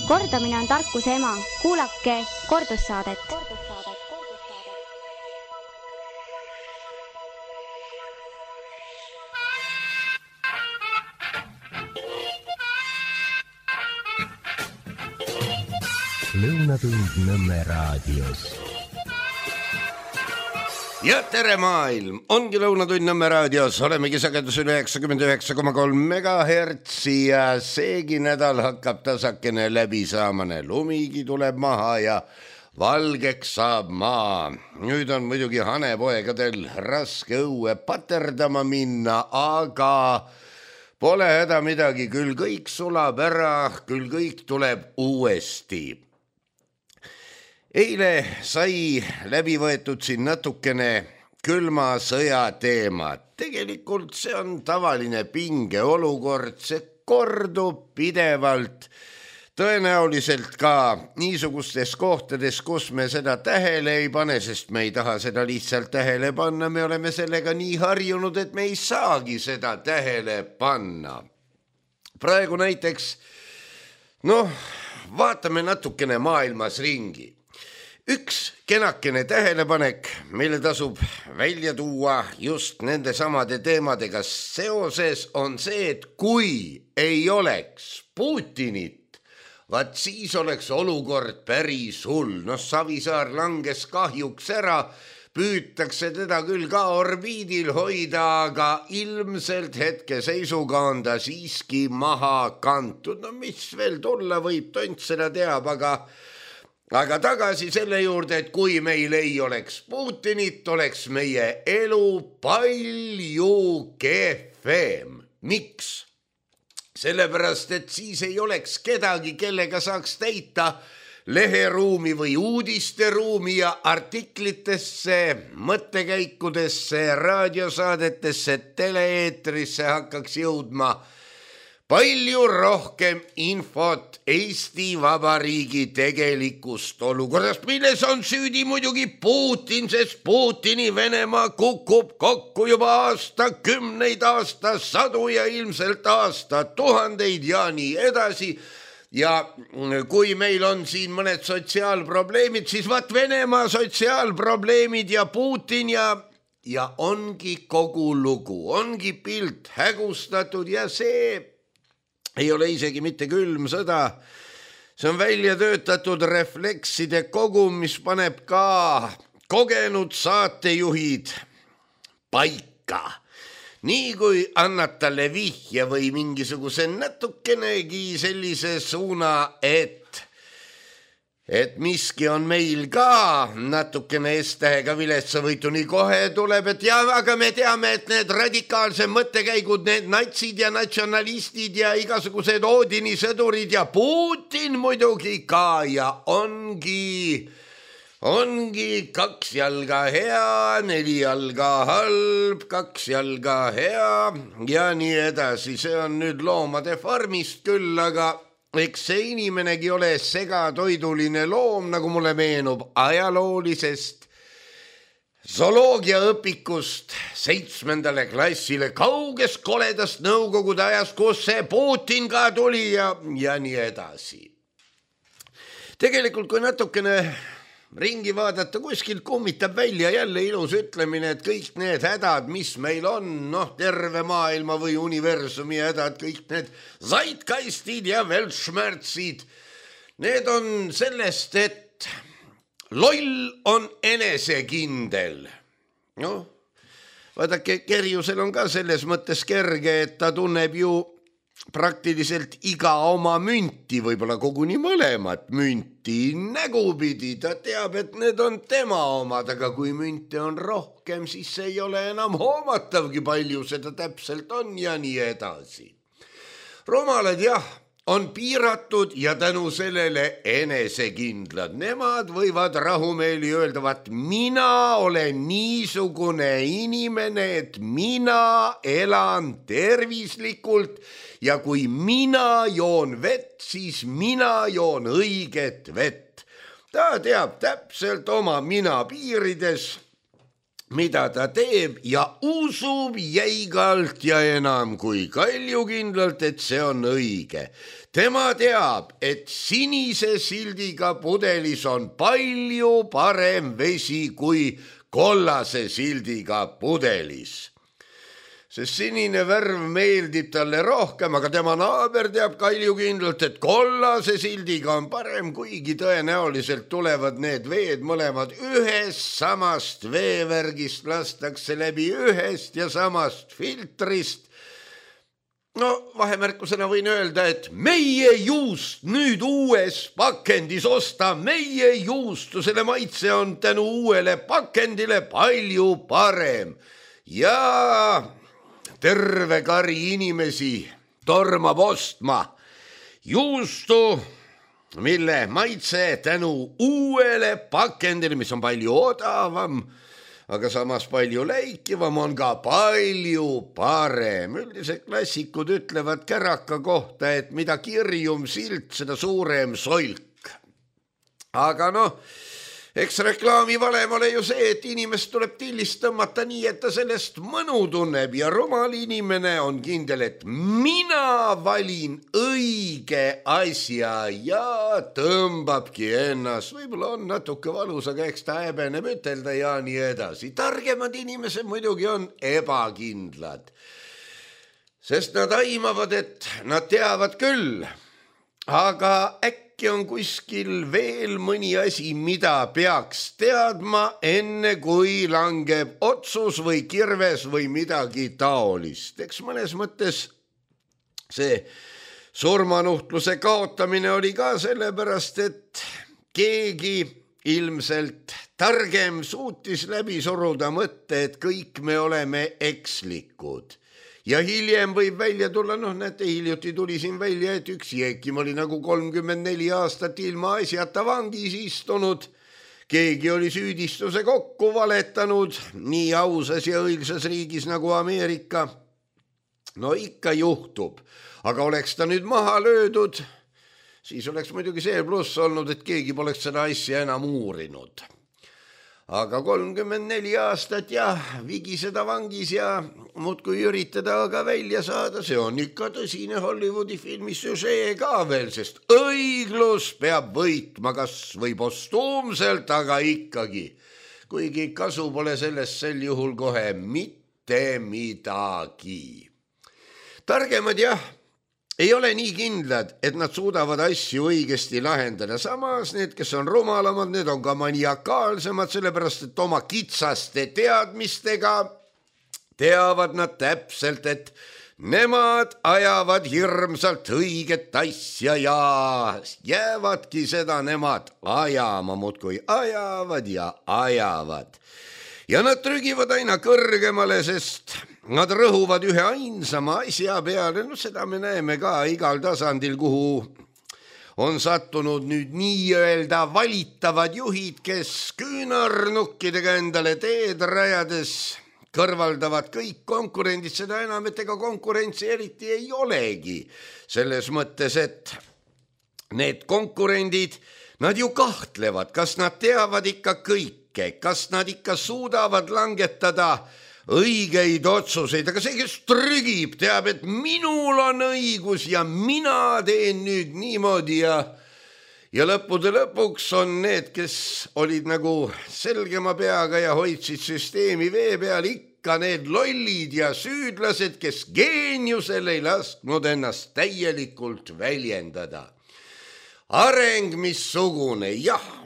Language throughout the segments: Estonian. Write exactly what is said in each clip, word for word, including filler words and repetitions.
Kordamine on tarkuse ema. Kuulake kordussaadet. Lõunatund Nõmme raadios. Ja tere maailm, ongi Lõunatund Nõmme raadios, olemegi sagedusel üheksakümmend üheksa koma kolm megahertsi ja seegi nädal hakkab tasakene läbi saamane, lumigi tuleb maha ja valgeks saab maa. Nüüd on muidugi hanepoegadel raske õue paterdama minna, aga pole häda midagi, küll kõik sulab ära, küll kõik tuleb uuesti. Eile sai läbi võetud siin natukene külma sõja teema. Tegelikult see on tavaline pinge olukord, see kordub pidevalt. Tõenäoliselt ka niisugustes kohtades, kus me seda tähele ei pane, sest me ei taha seda lihtsalt tähele panna, me oleme sellega nii harjunud, et me ei saagi seda tähele panna. Praegu näiteks, noh, vaatame natukene maailmas ringi. Üks kenakene tähelepanek, mille tasub välja tuua just nende samade teemadega seoses, on see, et kui ei oleks Putinit, vaat siis oleks olukord päris hull. No Savisaar langes kahjuks ära, püütakse teda küll ka orbiidil hoida, aga ilmselt hetkeseisuga on ta siiski maha kantud. No mis veel tulla võib, tont seda teab, aga Aga tagasi selle juurde, et kui meil ei oleks Putinit, oleks meie elu palju kehvem. Miks? Sellepärast, et siis ei oleks kedagi, kellega saaks täita leheruumi või uudisteruumi ja artiklitesse, mõttekäikudesse, raadiosaadetesse, teleeetrisse hakkaks jõudma palju rohkem infot Eesti Vabariigi tegelikust olukorrast, milles on süüdi muidugi Putin, sest Putini Venemaa kukub kokku juba aastakümneid, aastasadu ja ilmselt aastatuhandeid ja nii edasi. Ja kui meil on siin mõned sotsiaalprobleemid, siis vaat Venemaa sotsiaalprobleemid ja Putin ja, ja ongi kogu lugu, ongi pilt hägustatud ja see ei ole isegi mitte külm sõda. See on välja töötatud reflekside kogum, mis paneb ka kogenud saatejuhid paika. Nii kui annad talle vihje või mingisuguse natukenegi sellise suuna, et et miski on meil ka natukene S-tähega viletsavõitu, nii kohe tuleb, et ja, aga me teame, et need radikaalse mõttekäigud, need natsid ja natsionalistid ja igasugused Odini sõdurid ja Putin muidugi ka ja ongi, ongi kaks jalga hea, neli jalga halb, kaks jalga hea ja nii edasi. See on nüüd loomade farmist küll, aga eks see inimenegi ole segatoiduline loom, nagu mulle meenub ajaloolisest zooloogiaõpikust seitsmendale klassile kauges koledast nõukogude ajast, kus see Putin ka tuli ja, ja nii edasi. Tegelikult, kui natukene ringi vaadata, kuskilt kummitab välja jälle ilus ütlemine, et kõik need hädad, mis meil on, noh, terve maailma või universumi hädad, kõik need zeitgeistid ja weltschmerzid, need on sellest, et loll on enesekindel. Noh, vaadake, Kerjusel on ka selles mõttes kerge, et ta tunneb ju praktiliselt iga oma münti, võib-olla koguni mõlemat münti nägupidi. Ta teab, et need on tema omad, aga kui münte on rohkem, siis ei ole enam hoomatavgi palju seda täpselt on ja nii edasi. Rumalad jah, on piiratud ja tänu sellele enesekindlad. Nemad võivad rahumeeli öelda, vaat mina olen niisugune inimene, et mina elan tervislikult ja kui mina joon vett, siis mina joon õiget vett. Ta teab täpselt oma mina piirides, mida ta teeb ja usub jäigalt ja enam kui kaljukindlalt, et see on õige. Tema teab, et sinise sildiga pudelis on palju parem vesi kui kollase sildiga pudelis. Sest sinine värv meeldib talle rohkem, aga tema naaber teab kaljukindlalt, et kollase sildiga on parem, kuigi tõenäoliselt tulevad need veed mõlemad ühest samast veevärgist, lastakse läbi ühest ja samast filtrist. No vahemärkusena võin öelda, et meie juust nüüd uues pakendis osta, meie juustu, selle maitse on tänu uuele pakendile palju parem. Ja terve kari inimesi tormab ostma juustu, mille maitse tänu uuele pakendile, mis on palju odavam, aga samas palju läikivam, on ka palju parem. Üldiselt klassikud ütlevad käraka kohta, et mida kirjum silt, seda suurem solk. Aga noh, eks reklaami valem ole ju see, et inimest tuleb tillist tõmmata nii, et ta sellest mõnu tunneb ja rumal inimene on kindel, et mina valin õige asja ja tõmbabki ennast. Võib-olla on natuke valus, aga eks ta häbeneb ütelda ja nii edasi. Targemad inimesed muidugi on ebakindlad, sest nad aimavad, et nad teavad küll, aga äkki on kuskil veel mõni asi, mida peaks teadma, enne kui langeb otsus või kirves või midagi taolist. Eks mõnes mõttes see surmanuhtluse kaotamine oli ka sellepärast, et keegi ilmselt targem suutis läbi suruda mõtte, et kõik me oleme ekslikud. Ja hiljem võib välja tulla, noh näete, hiljuti tuli siin välja, et üks Jeekim oli nagu kolmkümmend neli aastat ilma asjata vangis istunud. Keegi oli süüdistuse kokku valetanud nii ausas ja õilsas riigis nagu Ameerika. No ikka juhtub, aga oleks ta nüüd maha löödud, siis oleks muidugi see pluss olnud, et keegi poleks seda asja enam uurinud. Aga kolmkümmend neli aastat ja vigiseda vangis ja muudkui üritada aga välja saada, see on ikka tõsine Hollywoodi filmi süžee ka veel, sest õiglus peab võitma kas või postuumselt, aga ikkagi. Kuigi kasu pole sellest sel juhul kohe mitte midagi. Targemad jah, ei ole nii kindlad, et nad suudavad asju õigesti lahendada. Samas need, kes on rumalamad, need on ka maniakaalsemad, sellepärast et oma kitsaste teadmistega teavad nad täpselt, et nemad ajavad hirmsalt õiget asja ja jäävadki seda nemad ajama, muudkui ajavad ja ajavad. Ja nad trügivad aina kõrgemale, sest nad rõhuvad ühe ainsama asja peale. No seda me näeme ka igal tasandil, kuhu on sattunud nüüd nii-öelda valitavad juhid, kes küünarnukkidega endale teed rajades kõrvaldavad kõik konkurendid, seda enam, et ega konkurentsi eriti ei olegi. Selles mõttes, et need konkurendid, nad ju kahtlevad, kas nad teavad ikka kõike, kas nad ikka suudavad langetada õigeid otsuseid, aga see, kes trügib, teab, et minul on õigus ja mina teen nüüd niimoodi ja ja lõppude lõpuks on need, kes olid nagu selgema peaga ja hoidsid süsteemi vee peal, ikka need lollid ja süüdlased, kes geeniusel ei lasknud ennast täielikult väljendada. Areng missugune, jah.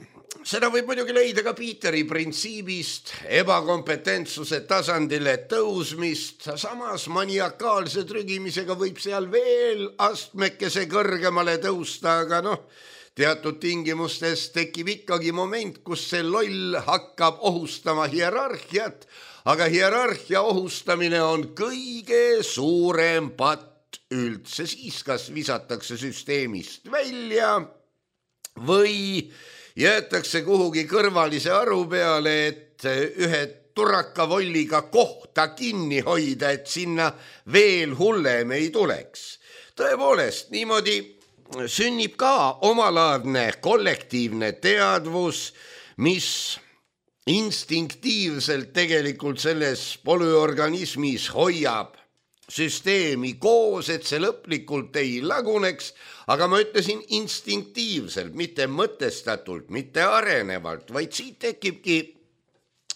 Seda võib muidugi leida ka Peteri printsiibist, ebakompetentsuse tasandile tõusmist, samas maniakaalse trügimisega võib seal veel astmekese kõrgemale tõusta, aga noh, teatud tingimustes tekib ikkagi moment, kus see loll hakkab ohustama hierarhiat, aga hierarhia ohustamine on kõige suurem patt üldse, siis kas visatakse süsteemist välja või jäetakse kuhugi kõrvalise aru peale, et ühe turakavolliga kohta kinni hoida, et sinna veel hullem ei tuleks. Tõepoolest, niimoodi sünnib ka omalaadne kollektiivne teadvus, mis instinktiivselt tegelikult selles polüorganismis hoiab süsteemi koos, et see lõplikult ei laguneks, aga ma ütlesin instinktiivselt, mitte mõtestatult, mitte arenevalt, vaid siit tekibki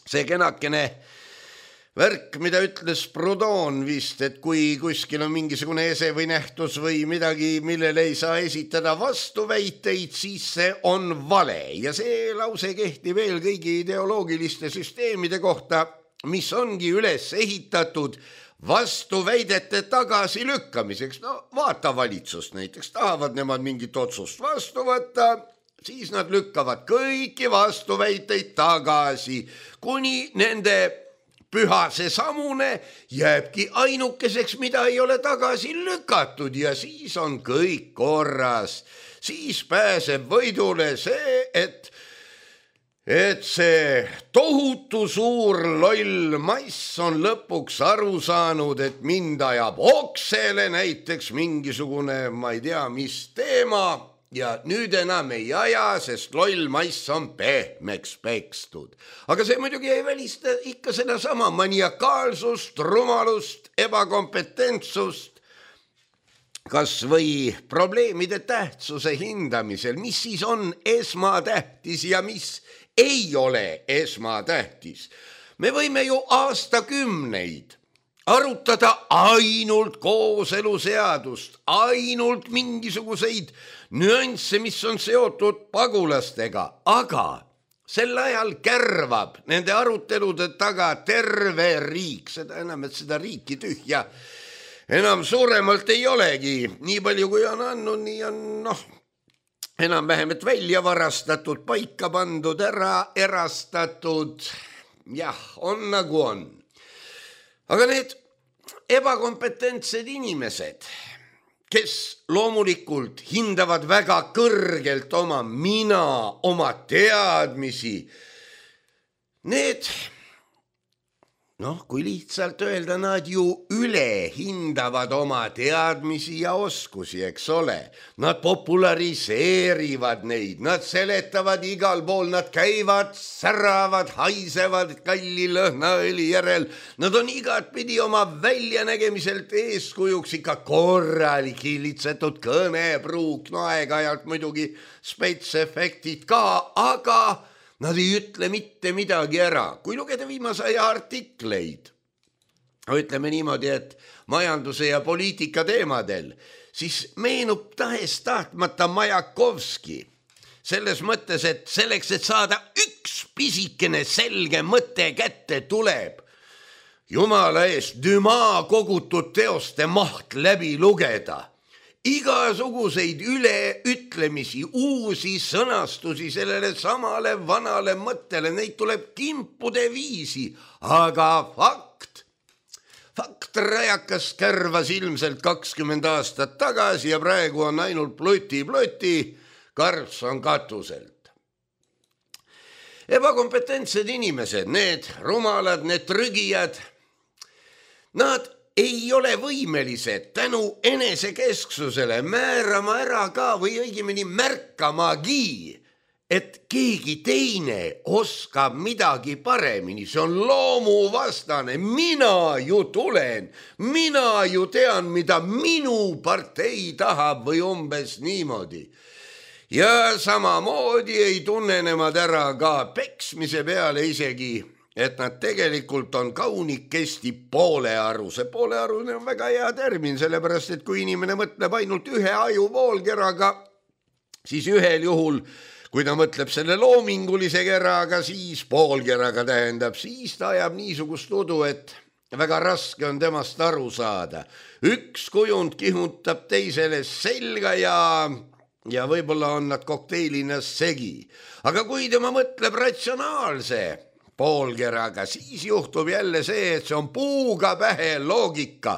see kenakene värk, mida ütles Proudhon vist, et kui kuskil on mingisugune ese või nähtus või midagi, millele ei saa esitada vastuväiteid, siis see on vale ja see lause kehtib veel kõigi ideoloogiliste süsteemide kohta, mis ongi üles ehitatud vastuväidete tagasilükkamiseks. No vaata valitsust näiteks, tahavad nemad mingit otsust vastu võtta, siis nad lükkavad kõiki vastuväiteid tagasi, kuni nende püha see samune jääbki ainukeseks, mida ei ole tagasi lükatud ja siis on kõik korras. Siis pääseb võidule see, et et see tohutu suur loll mass on lõpuks aru saanud, et mind ajab oksele näiteks mingisugune, ma ei tea, mis teema ja nüüd enam ei aja, sest loll mass on pehmeks pekstud. Aga see muidugi ei välista ikka sedasama maniakaalsust, rumalust, ebakompetentsust, kas või probleemide tähtsuse hindamisel, mis siis on esmatähtis ja mis ei ole esmatähtis. Me võime ju aastakümneid arutada ainult kooseluseadust, ainult mingisuguseid nüansse, mis on seotud pagulastega, aga sel ajal kärvab nende arutelude taga terve riik, seda enam, et seda riiki tühja enam suuremalt ei olegi, nii palju kui on andnud, nii on noh, enam-vähem, et välja varastatud, paika pandud, ära erastatud, jah, on nagu on. Aga need ebakompetentsed inimesed, kes loomulikult hindavad väga kõrgelt oma mina, oma teadmisi, need, noh, kui lihtsalt öelda, nad ju üle hindavad oma teadmisi ja oskusi, eks ole. Nad populariseerivad neid, nad seletavad igal pool, nad käivad, säravad, haisevad kalli lõhnaõli järel. Nad on igatpidi oma väljanägemiselt eeskujuks, ikka korralik hillitsetud kõnepruuk, no aeg-ajalt muidugi spetsefektid ka, aga nad ei ütle mitte midagi ära. Kui lugeda viimase aja artikleid, ütleme niimoodi, et majanduse ja poliitika teemadel, siis meenub tahes tahtmata Majakovski. Selles mõttes, et selleks, et saada üks pisikene selge mõte kätte tuleb, jumala eest Dumas kogutud teoste maht läbi lugeda. Igasuguseid üleütlemisi, uusi sõnastusi sellele samale vanale mõttele, neid tuleb kimpude viisi, aga fakt, fakt rajakas kärvas ilmselt kakskümmend aastat tagasi ja praegu on ainult ploti-ploti, karps on katuselt. Ebakompetentsed inimesed, need rumalad, need trügijad, nad ei ole võimelised tänu enesekesksusele määrama ära ka või õigemini märkamagi, et keegi teine oskab midagi paremini. See on loomuvastane. Mina ju tulen, mina ju tean, mida minu partei tahab või umbes niimoodi. Ja samamoodi ei tunne nemad ära ka peksmise peale isegi, et nad tegelikult on kaunikesti poolearuse. Poolearune on väga hea termin, sellepärast, et kui inimene mõtleb ainult ühe aju poolkeraga, siis ühel juhul, kui ta mõtleb selle loomingulise keraga, siis poolkeraga tähendab, siis ta ajab niisugust udu, et väga raske on temast aru saada. Üks kujund kihutab teisele selga ja, ja võib-olla on nad kokteilinas segi. Aga kui tema mõtleb ratsionaalse poolkeraga, siis juhtub jälle see, et see on puuga pähe loogika.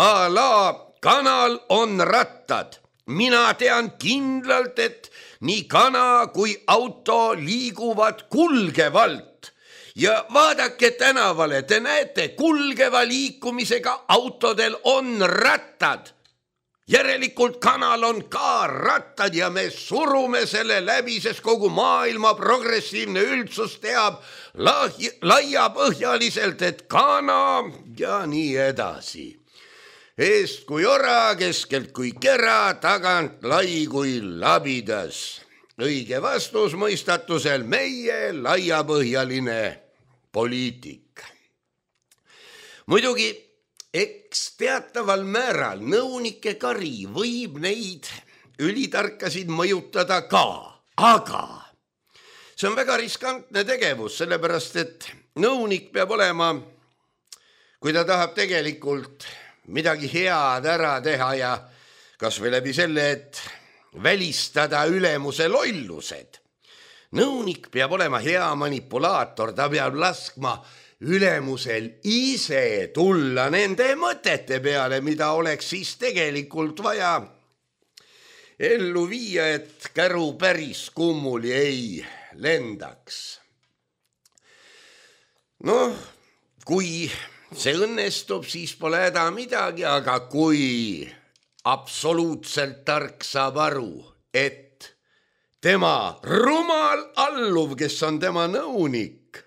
A la kanal on rattad. Mina tean kindlalt, et nii kana kui auto liiguvad kulgevalt. Ja vaadake tänavale, te näete, kulgeva liikumisega autodel on rattad. järelikult kanal on ka rattad ja me surume selle läbi, sest kogu maailma progressiivne üldsus teab laiapõhjaliselt, et kana ja nii edasi. Eest kui ora, keskelt kui kera, tagant lai kui labidas. Õige vastus mõistatusel meie laiapõhjaline poliitik. Muidugi, eks teataval määral nõunike kari võib neid ülitarkasid mõjutada ka, aga see on väga riskantne tegevus, sellepärast et nõunik peab olema, kui ta tahab tegelikult midagi head ära teha ja kas või läbi selle, et välistada ülemuse lollused. Nõunik peab olema hea manipulaator, ta peab laskma ülemusel ise tulla nende mõtete peale, mida oleks siis tegelikult vaja ellu viia, et käru päris kummuli ei lendaks. Noh, kui see õnnestub, siis pole häda midagi, aga kui absoluutselt tark saab aru, et tema rumal alluv, kes on tema nõunik,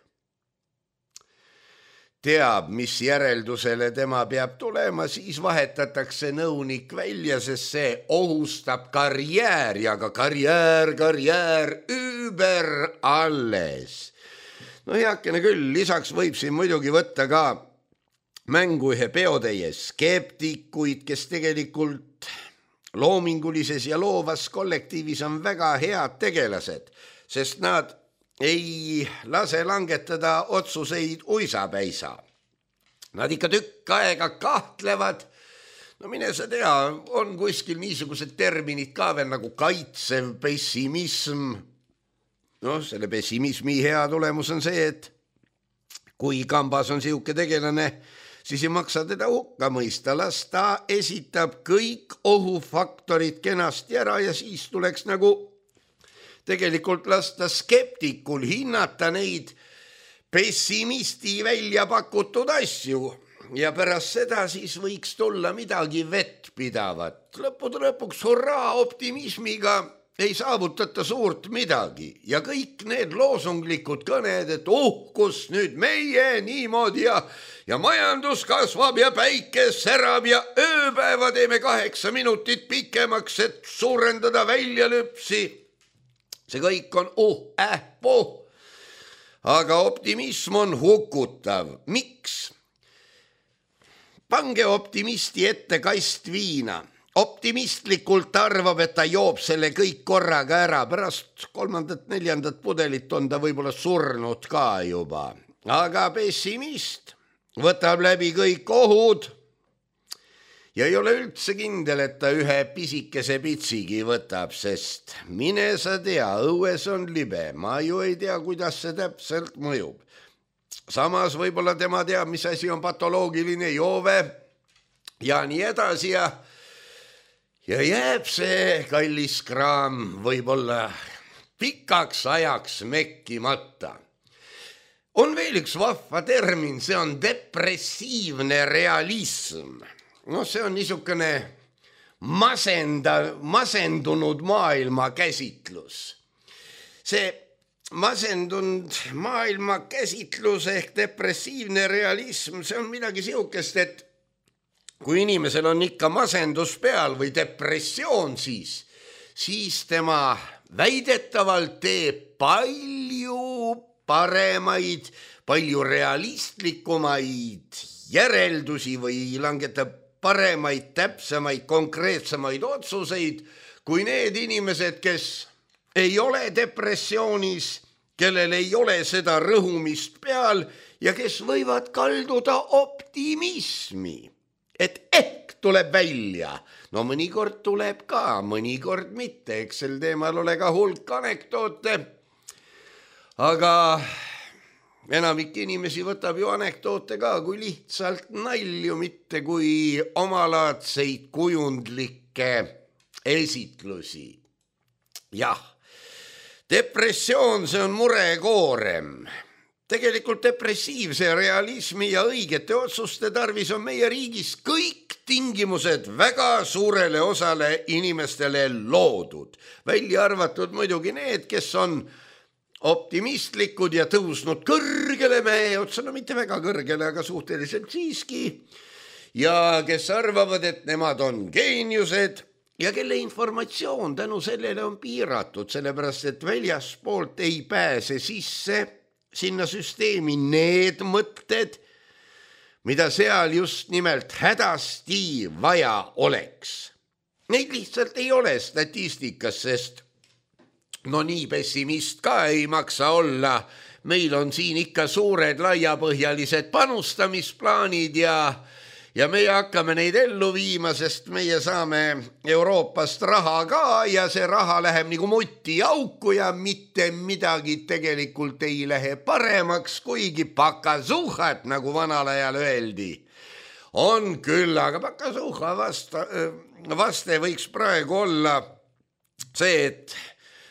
teab, mis järeldusele tema peab tulema, siis vahetatakse nõunik välja, sest see ohustab karjääri, aga karjäär, karjäär, üüber alles. No heakene küll, lisaks võib siin muidugi võtta ka mängu ühe peotäie skeptikuid, kes tegelikult loomingulises ja loovas kollektiivis on väga head tegelased, sest nad ei lase langetada otsuseid uisapäisa. Nad ikka tükk aega kahtlevad, no mine sa tea, on kuskil niisugused terminid ka veel nagu kaitsev pessimism. No selle pessimismi hea tulemus on see, et kui kambas on siuke tegelane, siis ei maksa teda hukka mõista, las ta esitab kõik ohufaktorid kenasti ära ja siis tuleks nagu tegelikult lasta skeptikul hinnata neid pessimisti välja pakutud asju ja pärast seda siis võiks tulla midagi vettpidavat. Lõppude lõpuks hurraa, optimismiga ei saavutata suurt midagi ja kõik need loosunglikud kõned, et uhkus nüüd meie niimoodi ja, ja majandus kasvab ja päike särab ja ööpäeva teeme kaheksa minutit pikemaks, et suurendada väljalüpsi. See kõik on uh, äh, puh. Aga optimism on hukutav. Miks? Pange optimisti ette kast viina. Optimistlikult arvab, et ta joob selle kõik korraga ära. Pärast kolmandat, neljandat pudelit on ta võib-olla surnud ka juba. Aga pessimist võtab läbi kõik ohud ja ei ole üldse kindel, et ta ühe pisikese pitsigi võtab, sest mine sa tea, õues on libe. Ma ju ei tea, kuidas see täpselt mõjub. Samas võib-olla tema teab, mis asi on patoloogiline joove ja nii edasi ja Ja jääb see kallis kraam võib-olla pikaks ajaks mekkimata. On veel üks vahva termin, see on depressiivne realism. No see on niisugune masenda, masendunud maailma käsitlus. See masendunud maailma käsitlus ehk depressiivne realism, see on midagi siukest, et kui inimesel on ikka masendus peal või depressioon, siis, siis tema väidetavalt teeb palju paremaid, palju realistlikumaid järeldusi või langetab paremaid, täpsemaid, konkreetsemaid otsuseid kui need inimesed, kes ei ole depressioonis, kellel ei ole seda rõhumist peal ja kes võivad kalduda optimismi. Et ehk tuleb välja. No mõnikord tuleb ka, mõnikord mitte. Eks sel teemal ole ka hulk anekdoote. Aga enamik inimesi võtab ju anekdoote ka kui lihtsalt nalju, mitte kui omalaadseid kujundlikke esitlusi. Jah, depressioon, see on murekoorem. Tegelikult depressiivse realismi ja õigete otsuste tarvis on meie riigis kõik tingimused väga suurele osale inimestele loodud, välja arvatud muidugi need, kes on optimistlikud ja tõusnud kõrgele mäe otsa, no mitte väga kõrgele, aga suhteliselt siiski, ja kes arvavad, et nemad on geeniused ja kelle informatsioon tänu sellele on piiratud, sellepärast et väljaspoolt ei pääse sisse sinna süsteemi need mõtted, mida seal just nimelt hädasti vaja oleks. Neid lihtsalt ei ole statistikas, sest no nii pessimist ka ei maksa olla. Meil on siin ikka suured laiapõhjalised panustamisplaanid ja Ja meie hakkame neid ellu viima, sest meie saame Euroopast raha ka ja see raha läheb nagu mutti auku ja mitte midagi tegelikult ei lähe paremaks, kuigi pakasuhat, nagu vanal ajal öeldi, on küll, aga pakasuha vasta, vaste võiks praegu olla see, et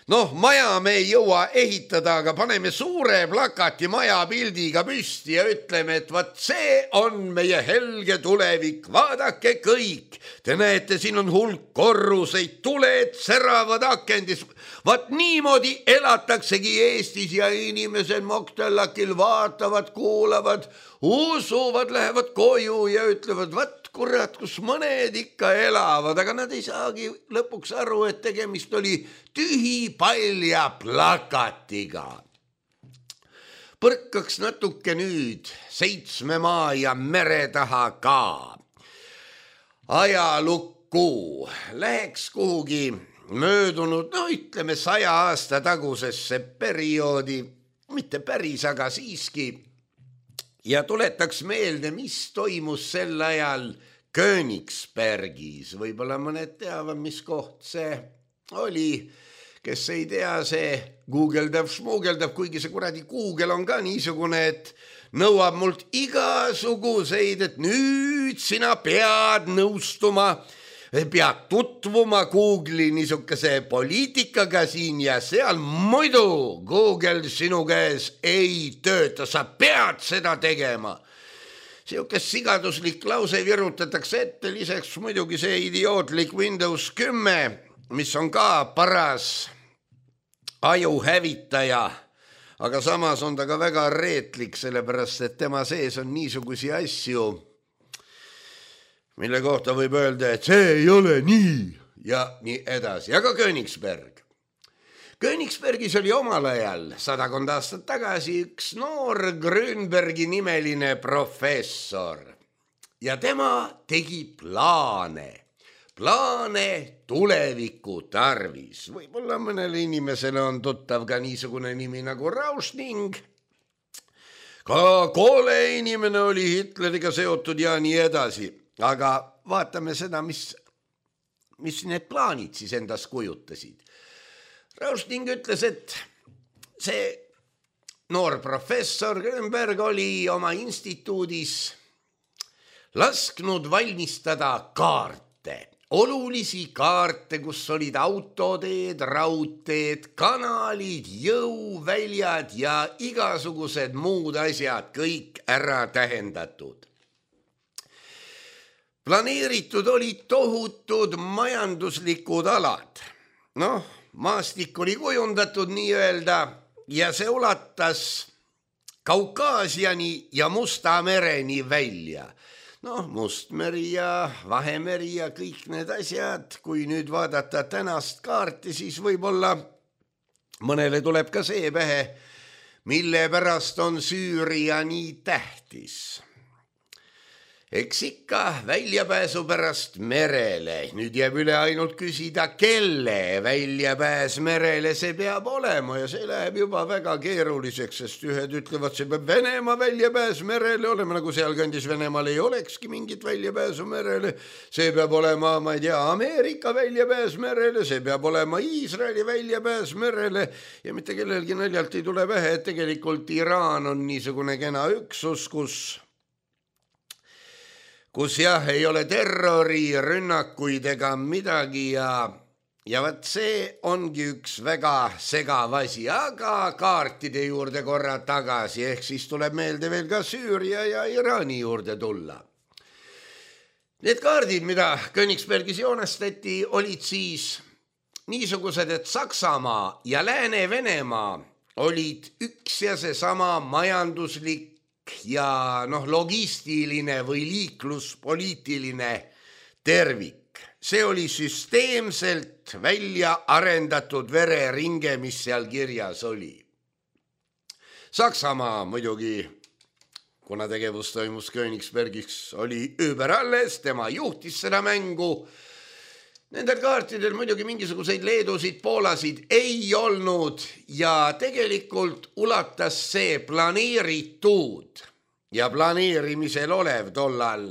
noh, maja me ei jõua ehitada, aga paneme suure plakati maja pildiga püsti ja ütleme, et vaat see on meie helge tulevik, vaadake kõik. Te näete, siin on hulk korruseid, tuled säravad akendis. Vaat niimoodi elataksegi Eestis ja inimesed Moktelakil vaatavad, kuulavad, usuvad, lähevad koju ja ütlevad, vaat kurat, kus mõned ikka elavad, aga nad ei saagi lõpuks aru, et tegemist oli tühi palja plakatiga. Põrkaks natuke nüüd seitsme maa ja mere taha ka. Ajalukku läheks kuhugi möödunud, no ütleme saja aasta tagusesse perioodi, mitte päris, aga siiski, ja tuletaks meelde, mis toimus sel ajal Königsbergis. Võib-olla mõned teavad, mis koht see oli. Kes ei tea, see guugeldab, šmuugeldab, kuigi see kuradi Google on ka niisugune, et nõuab mult igasuguseid, et nüüd sina pead nõustuma, pead tutvuma Google'i niisuguse poliitikaga siin ja seal, muidu Google sinu käes ei tööta, sa pead seda tegema. Siukest sigaduslik lause virutatakse ette, lisaks muidugi see idiootlik Windows kümme, mis on ka paras ajuhävitaja, aga samas on ta ka väga reetlik, sellepärast et tema sees on niisugusi asju, mille kohta võib öelda, et see ei ole nii ja nii edasi. Aga Königsberg. Königsbergis oli omal ajal sadakond aastat tagasi üks noor Grünbergi nimeline professor ja tema tegi plaane, plaane tuleviku tarvis. Võib-olla mõnele inimesele on tuttav ka niisugune nimi nagu Rauschning. Ka Koole inimene oli Hitleriga seotud ja nii edasi. Aga vaatame seda, mis, mis need plaanid siis endas kujutasid. Rauschning ütles, et see noor professor Grünberg oli oma instituudis lasknud valmistada kaarte, olulisi kaarte, kus olid autoteed, raudteed, kanalid, jõuväljad ja igasugused muud asjad, kõik ära tähendatud. Planeeritud olid tohutud majanduslikud alad. Noh, maastik oli kujundatud nii-öelda ja see ulatas Kaukaasiani ja Musta mereni välja. Noh, Mustmeri ja Vahemeri ja kõik need asjad, kui nüüd vaadata tänast kaarti, siis võib-olla mõnele tuleb ka see pähe, mille pärast on Süüria nii tähtis. Eks ikka väljapääsu pärast merele. Nüüd jääb üle ainult küsida, kelle väljapääs merele see peab olema ja see läheb juba väga keeruliseks, sest ühed ütlevad, see peab Venemaa väljapääs merele olema, nagu sealkandis Venemaal ei olekski mingit väljapääsu merele. See peab olema, ma ei tea, Ameerika väljapääs merele, see peab olema Iisraeli väljapääs merele ja mitte kellelgi naljalt ei tule pähe, et tegelikult Iraan on niisugune kena üksus, kus kus jah, ei ole terrori, rünnakuid ega midagi ja, ja vaat see ongi üks väga segav asi, aga kaartide juurde korra tagasi, ehk siis tuleb meelde veel ka Süüria ja Iraani juurde tulla. Need kaardid, mida Königsbergis joonestati, olid siis niisugused, et Saksamaa ja Lääne-Venemaa olid üks ja seesama majanduslik ja noh, logistiline või liikluspoliitiline tervik. See oli süsteemselt välja arendatud vereringe, mis seal kirjas oli. Saksamaa muidugi, kuna tegevus toimus Königsbergis, oli überalles, tema juhtis seda mängu. Nendel kaartidel muidugi mingisuguseid Leedusid, Poolasid ei olnud ja tegelikult ulatas see planeeritud ja planeerimisel olev tollal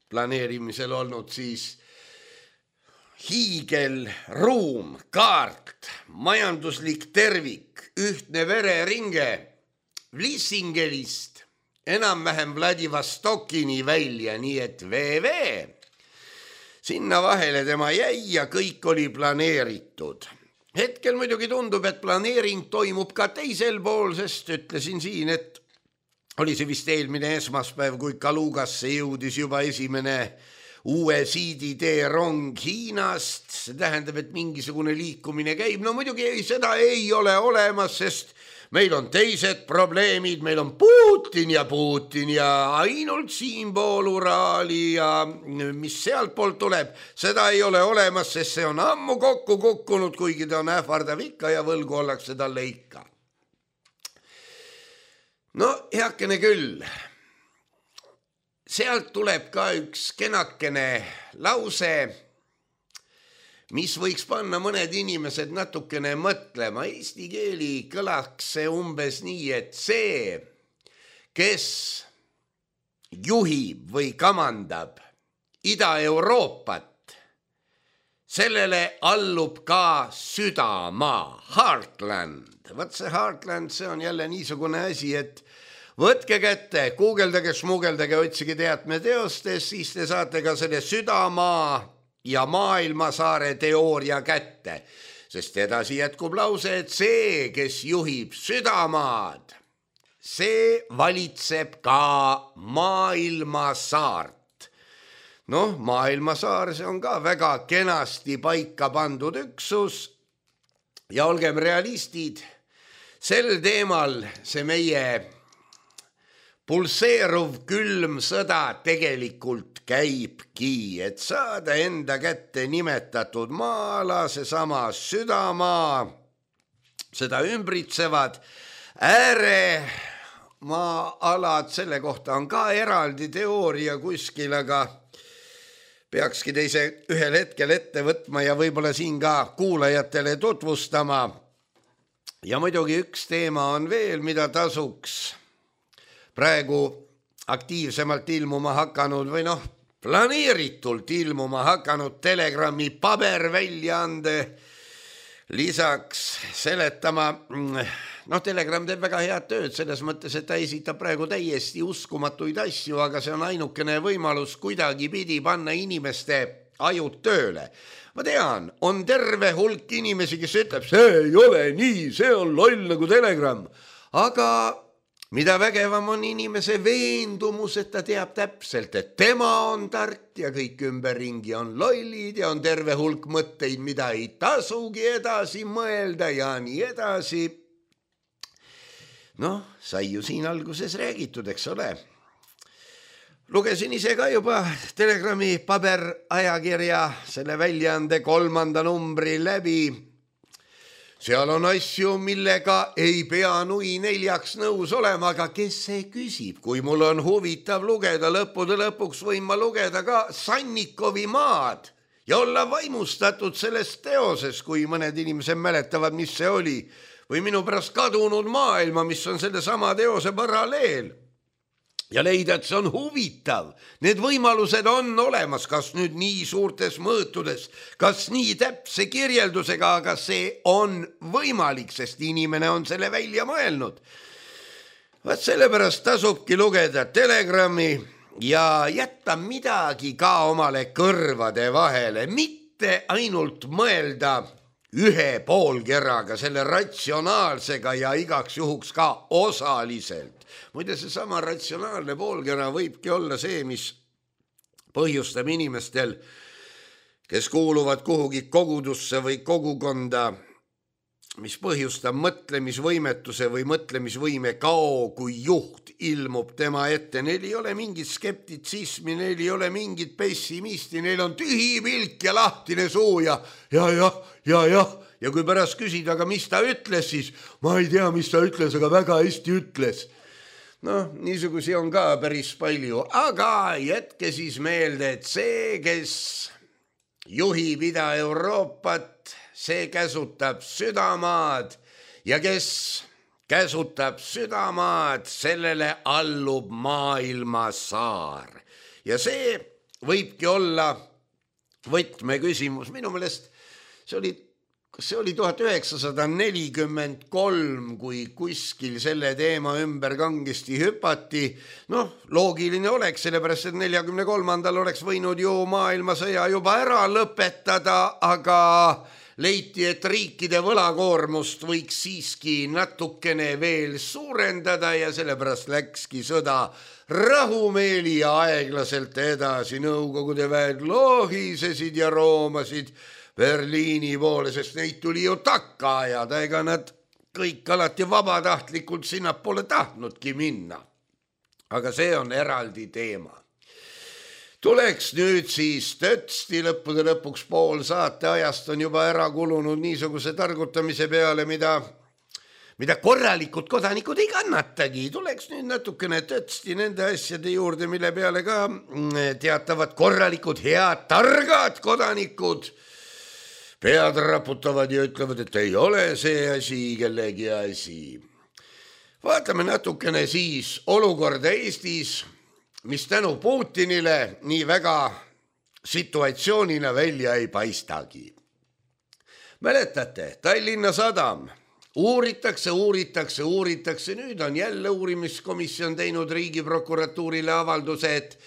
planeerimisel olnud siis hiigelruum, kaart, majanduslik tervik, ühtne vereringe Vlissingelist enam-vähem Vladivostokini välja, nii et V V. Sinna vahele tema jäi ja kõik oli planeeritud. Hetkel muidugi tundub, et planeering toimub ka teisel pool, sest ütlesin siin, et oli see vist eelmine esmaspäev, kui Kalugasse jõudis juba esimene uue siiditee rong Hiinast. See tähendab, et mingisugune liikumine käib. No muidugi ei, seda ei ole olemas, sest meil on teised probleemid, meil on Putin ja Putin ja ainult siinpool Uraali ja mis sealt poolt tuleb, seda ei ole olemas, sest see on ammu kokku kukkunud, kuigi ta on ähvardav ikka ja võlgu ollakse talle ikka. No heakene küll, sealt tuleb ka üks kenakene lause, mis võiks panna mõned inimesed natukene mõtlema. Eesti keeli kõlaks see umbes nii, et see, kes juhib või kamandab Ida-Euroopat, sellele allub ka südamaa, Heartland. Vaat see Heartland, see on jälle niisugune asi, et võtke kätte, guugeldage, smugeldage, otsige teatme teostes, siis te saate ka selle südamaa ja maailmasaare teooria kätte, sest edasi jätkub lause, et see, kes juhib südamaad, see valitseb ka maailmasaart. Noh, maailmasaar, see on ka väga kenasti paika pandud üksus ja olgem realistid, sel teemal see meie pulseeruv külm sõda tegelikult käibki, et saada enda kätte nimetatud maala, seesama südamaa, seda ümbritsevad ääremaalad, selle kohta on ka eraldi teooria kuskil, aga peakski teise ühel hetkel ette võtma ja võib-olla siin ka kuulajatele tutvustama. Ja muidugi üks teema on veel, mida tasuks praegu aktiivsemalt ilmuma hakanud või noh, planeeritult ilmuma hakanud Telegrami paberväljaande lisaks seletama. Noh, Telegram teeb väga head tööd selles mõttes, et ta esitab praegu täiesti uskumatuid asju, aga see on ainukene võimalus kuidagi pidi panna inimeste ajud tööle. Ma tean, on terve hulk inimesi, kes ütleb, see ei ole nii, see on loll nagu Telegram, aga mida vägevam on inimese veendumus, et ta teab täpselt, et tema on tark ja kõik ümberringi on lollid ja on terve hulk mõtteid, mida ei tasugi edasi mõelda ja nii edasi. Noh, sai ju siin alguses räägitud, eks ole. Lugesin ise ka juba Telegrami paberajakirja selle väljaande kolmanda numbri läbi. Seal on asju, millega ei pea nui neljaks nõus olema, aga kes see küsib? Kui mul on huvitav lugeda, lõppude lõpuks võin ma lugeda ka Sannikovi maad ja olla vaimustatud sellest teoses, kui mõned inimesed mäletavad, mis see oli, või minu pärast kadunud maailma, mis on selle sama teose paralleel. Ja leida, et see on huvitav. Need võimalused on olemas, kas nüüd nii suurtes mõõtudes, kas nii täpse kirjeldusega, aga see on võimalik, sest inimene on selle välja mõelnud. Vaat sellepärast tasubki lugeda Telegrami ja jätta midagi ka omale kõrvade vahele, mitte ainult mõelda ühe poolkeraga, selle ratsionaalsega ja igaks juhuks ka osaliselt. Muide, see sama ratsionaalne poolkera võibki olla see, mis põhjustab inimestel, kes kuuluvad kuhugi kogudusse või kogukonda, mis põhjustab mõtlemisvõimetuse või mõtlemisvõime kao, kui juht ilmub tema ette. Neil ei ole mingit skeptitsismi, neil ei ole mingit pessimisti, neil on tühi pilk ja lahtine suu ja ja, ja, ja, ja. Ja kui pärast küsida, aga mis ta ütles, siis ma ei tea, mis ta ütles, aga väga hästi ütles. Noh, niisugusi on ka päris palju, aga jätke siis meelde, et see, kes juhib Ida-Euroopat, see käsutab südamaad ja kes käsutab südamaad, sellele allub maailmasaar. Ja see võibki olla võtmeküsimus. Minu meelest see oli See oli tuhat üheksasada nelikümmend kolm, kui kuskil selle teema ümber kangesti hüpati. Noh, loogiline oleks, sellepärast, et neljakümne kolmandal oleks võinud ju maailmasõja juba ära lõpetada, aga leiti, et riikide võlakoormust võiks siiski natukene veel suurendada ja sellepärast läkski sõda rahumeeli ja aeglaselt edasi. Nõukogude väed lohisesid ja roomasid Berliini poole, sest neid tuli ju takka ajada, ega nad kõik alati vabatahtlikult sinna pole tahtnudki minna. Aga see on eraldi teema. Tuleks nüüd siis tõtsti lõppude lõpuks pool saate ajast on juba ära kulunud niisuguse targutamise peale, mida, mida korralikud kodanikud ei kannatagi. Tuleks nüüd natukene tõtsti nende asjade juurde, mille peale ka teatavad korralikud, head, targad kodanikud pead raputavad ja ütlevad, et ei ole see asi kellegi asi. Vaatame natukene siis olukorda Eestis, mis tänu Putinile nii väga situatsioonina välja ei paistagi. Mäletate, Tallinna Sadam uuritakse, uuritakse, uuritakse. Nüüd on jälle uurimiskomisjon teinud Riigiprokuratuurile avalduse, et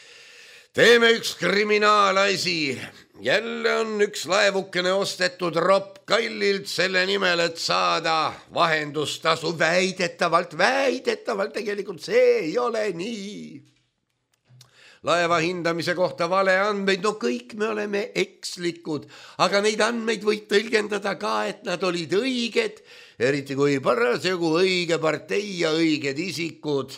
teeme üks kriminaalasi. Jälle on üks laevukene ostetud ropp kallilt selle nimel, et saada vahendustasu. Väidetavalt, väidetavalt, tegelikult see ei ole nii. Laeva hindamise kohta vale andmeid, no kõik me oleme ekslikud, aga neid andmeid võib tõlgendada ka, et nad olid õiged, eriti kui parasjagu õige partei ja õiged isikud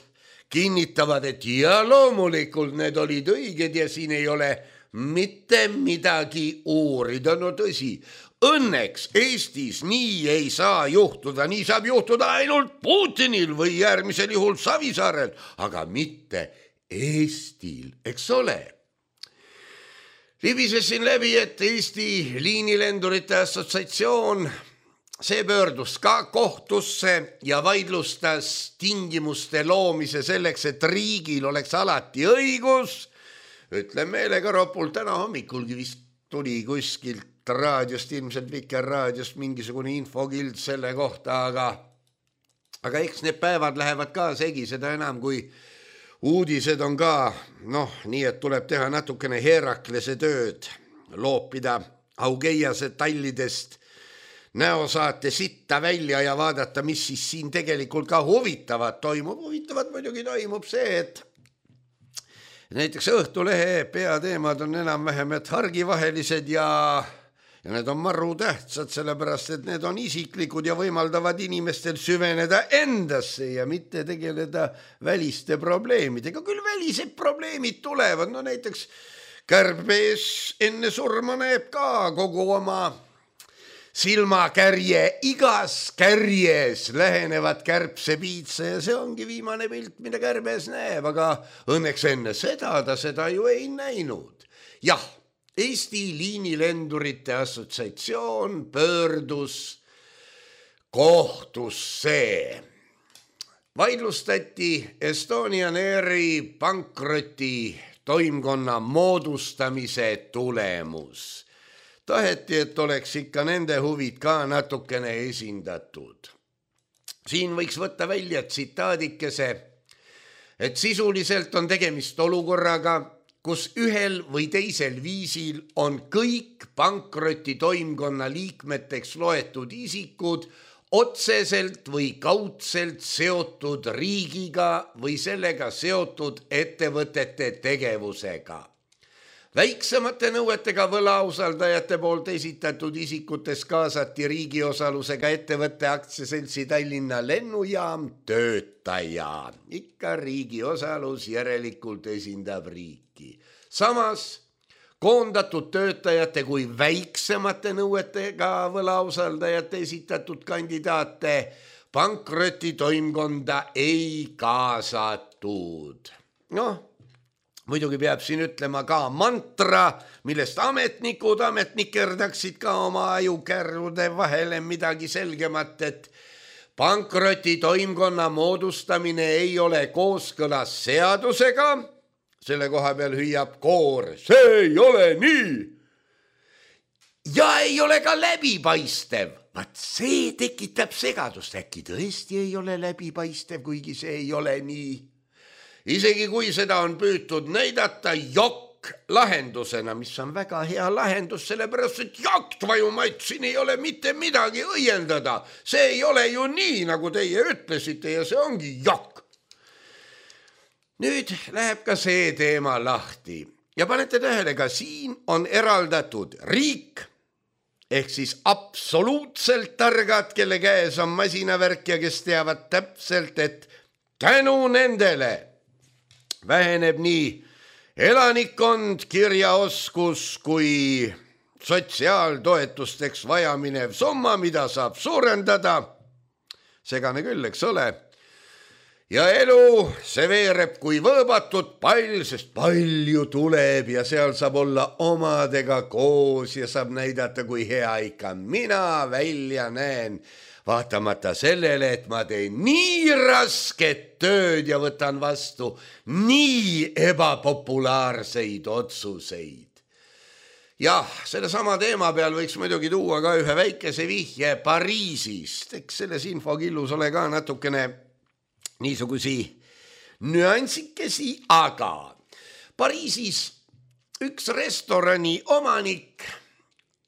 kinnitavad, et ja loomulikult need olid õiged ja siin ei ole mitte midagi uurida. No tõsi, õnneks Eestis nii ei saa juhtuda, nii saab juhtuda ainult Putinil või järgmisel juhul Savisaarel, aga mitte Eestil, eks ole. Libisesin läbi, et Eesti Liinilendurite Assotsiatsioon, see pöördus ka kohtusse ja vaidlustas tingimuste loomise selleks, et riigil oleks alati õigus. Ütlen meelega ropult, täna hommikulgi vist tuli kuskilt raadiost, ilmselt Vikerraadiost mingisugune infokild selle kohta, aga, aga eks need päevad lähevad ka segi, seda enam kui uudised on ka, noh, nii et tuleb teha natukene Heraklese tööd, loopida Augeiase tallidest näosaate sitta välja ja vaadata, mis siis siin tegelikult ka huvitavat toimub. Huvitavat muidugi toimub see, et näiteks Õhtulehe peateemad on enam-vähem et hargivahelised ja, ja need on maru tähtsad, sellepärast et need on isiklikud ja võimaldavad inimestel süveneda endasse ja mitte tegeleda väliste probleemidega. Küll välised probleemid tulevad, no näiteks Kärbes enne surma näeb ka kogu oma silmakärje, igas kärjes lähenevad kärbsepiitsa ja see ongi viimane pilt, mida Kärbes näeb, aga õnneks enne seda ta seda ju ei näinud. Jah, Eesti Liinilendurite Assotsiatsioon pöördus kohtusse. Vaidlustati Estonian Airi pankroti toimkonna moodustamise tulemus. Taheti, et oleks ikka nende huvid ka natukene esindatud. Siin võiks võtta välja tsitaadikese, et sisuliselt on tegemist olukorraga, kus ühel või teisel viisil on kõik pankroti toimkonna liikmeteks loetud isikud otseselt või kaudselt seotud riigiga või sellega seotud ettevõtete tegevusega. Väiksemate nõuetega võlausaldajate poolt esitatud isikutes kaasati riigiosalusega ettevõtte aktsiaseltsi Tallinna lennujaam töötaja. Ikka riigiosalus järelikult esindab riiki. Samas koondatud töötajate kui väiksemate nõuetega võlausaldajate esitatud kandidaate pankroti toimkonda ei kaasatud. Noh, muidugi peab siin ütlema ka mantra, millest ametnikud ametnikerdaksid ka oma ajukärrude vahele midagi selgemat, et pankroti toimkonna moodustamine ei ole kooskõlas seadusega. Selle koha peal hüüab koor, see ei ole nii. Ja ei ole ka läbipaistev. Vaat see tekitab segadust. Äkki tõesti ei ole läbipaistev, kuigi see ei ole nii. Isegi kui seda on püütud näidata jokk lahendusena, mis on väga hea lahendus, sellepärast, et jokk tvajumaid, siin ei ole mitte midagi õiendada. See ei ole ju nii, nagu teie ütlesite ja see ongi jokk. Nüüd läheb ka see teema lahti. Ja panete tähele, ka siin on eraldatud riik, ehk siis absoluutselt targad, kelle käes on masinavärk ja kes teavad täpselt, et tänu nendele väheneb nii elanikkond, kirjaoskus kui sotsiaaltoetusteks vajaminev summa, mida saab suurendada. Segane küll, eks ole. Ja elu, see veereb kui võõbatud pall, sest palju tuleb ja seal saab olla omadega koos ja saab näidata, kui hea ikka mina välja näen. Vaatamata sellele, et ma teen nii rasket tööd ja võtan vastu nii ebapopulaarseid otsuseid. Jah, selle sama teema peal võiks muidugi tuua ka ühe väikese vihje Pariisist. Eks selles infokillus ole ka natukene niisugusi nüansikesi, aga Pariisis üks restorani omanik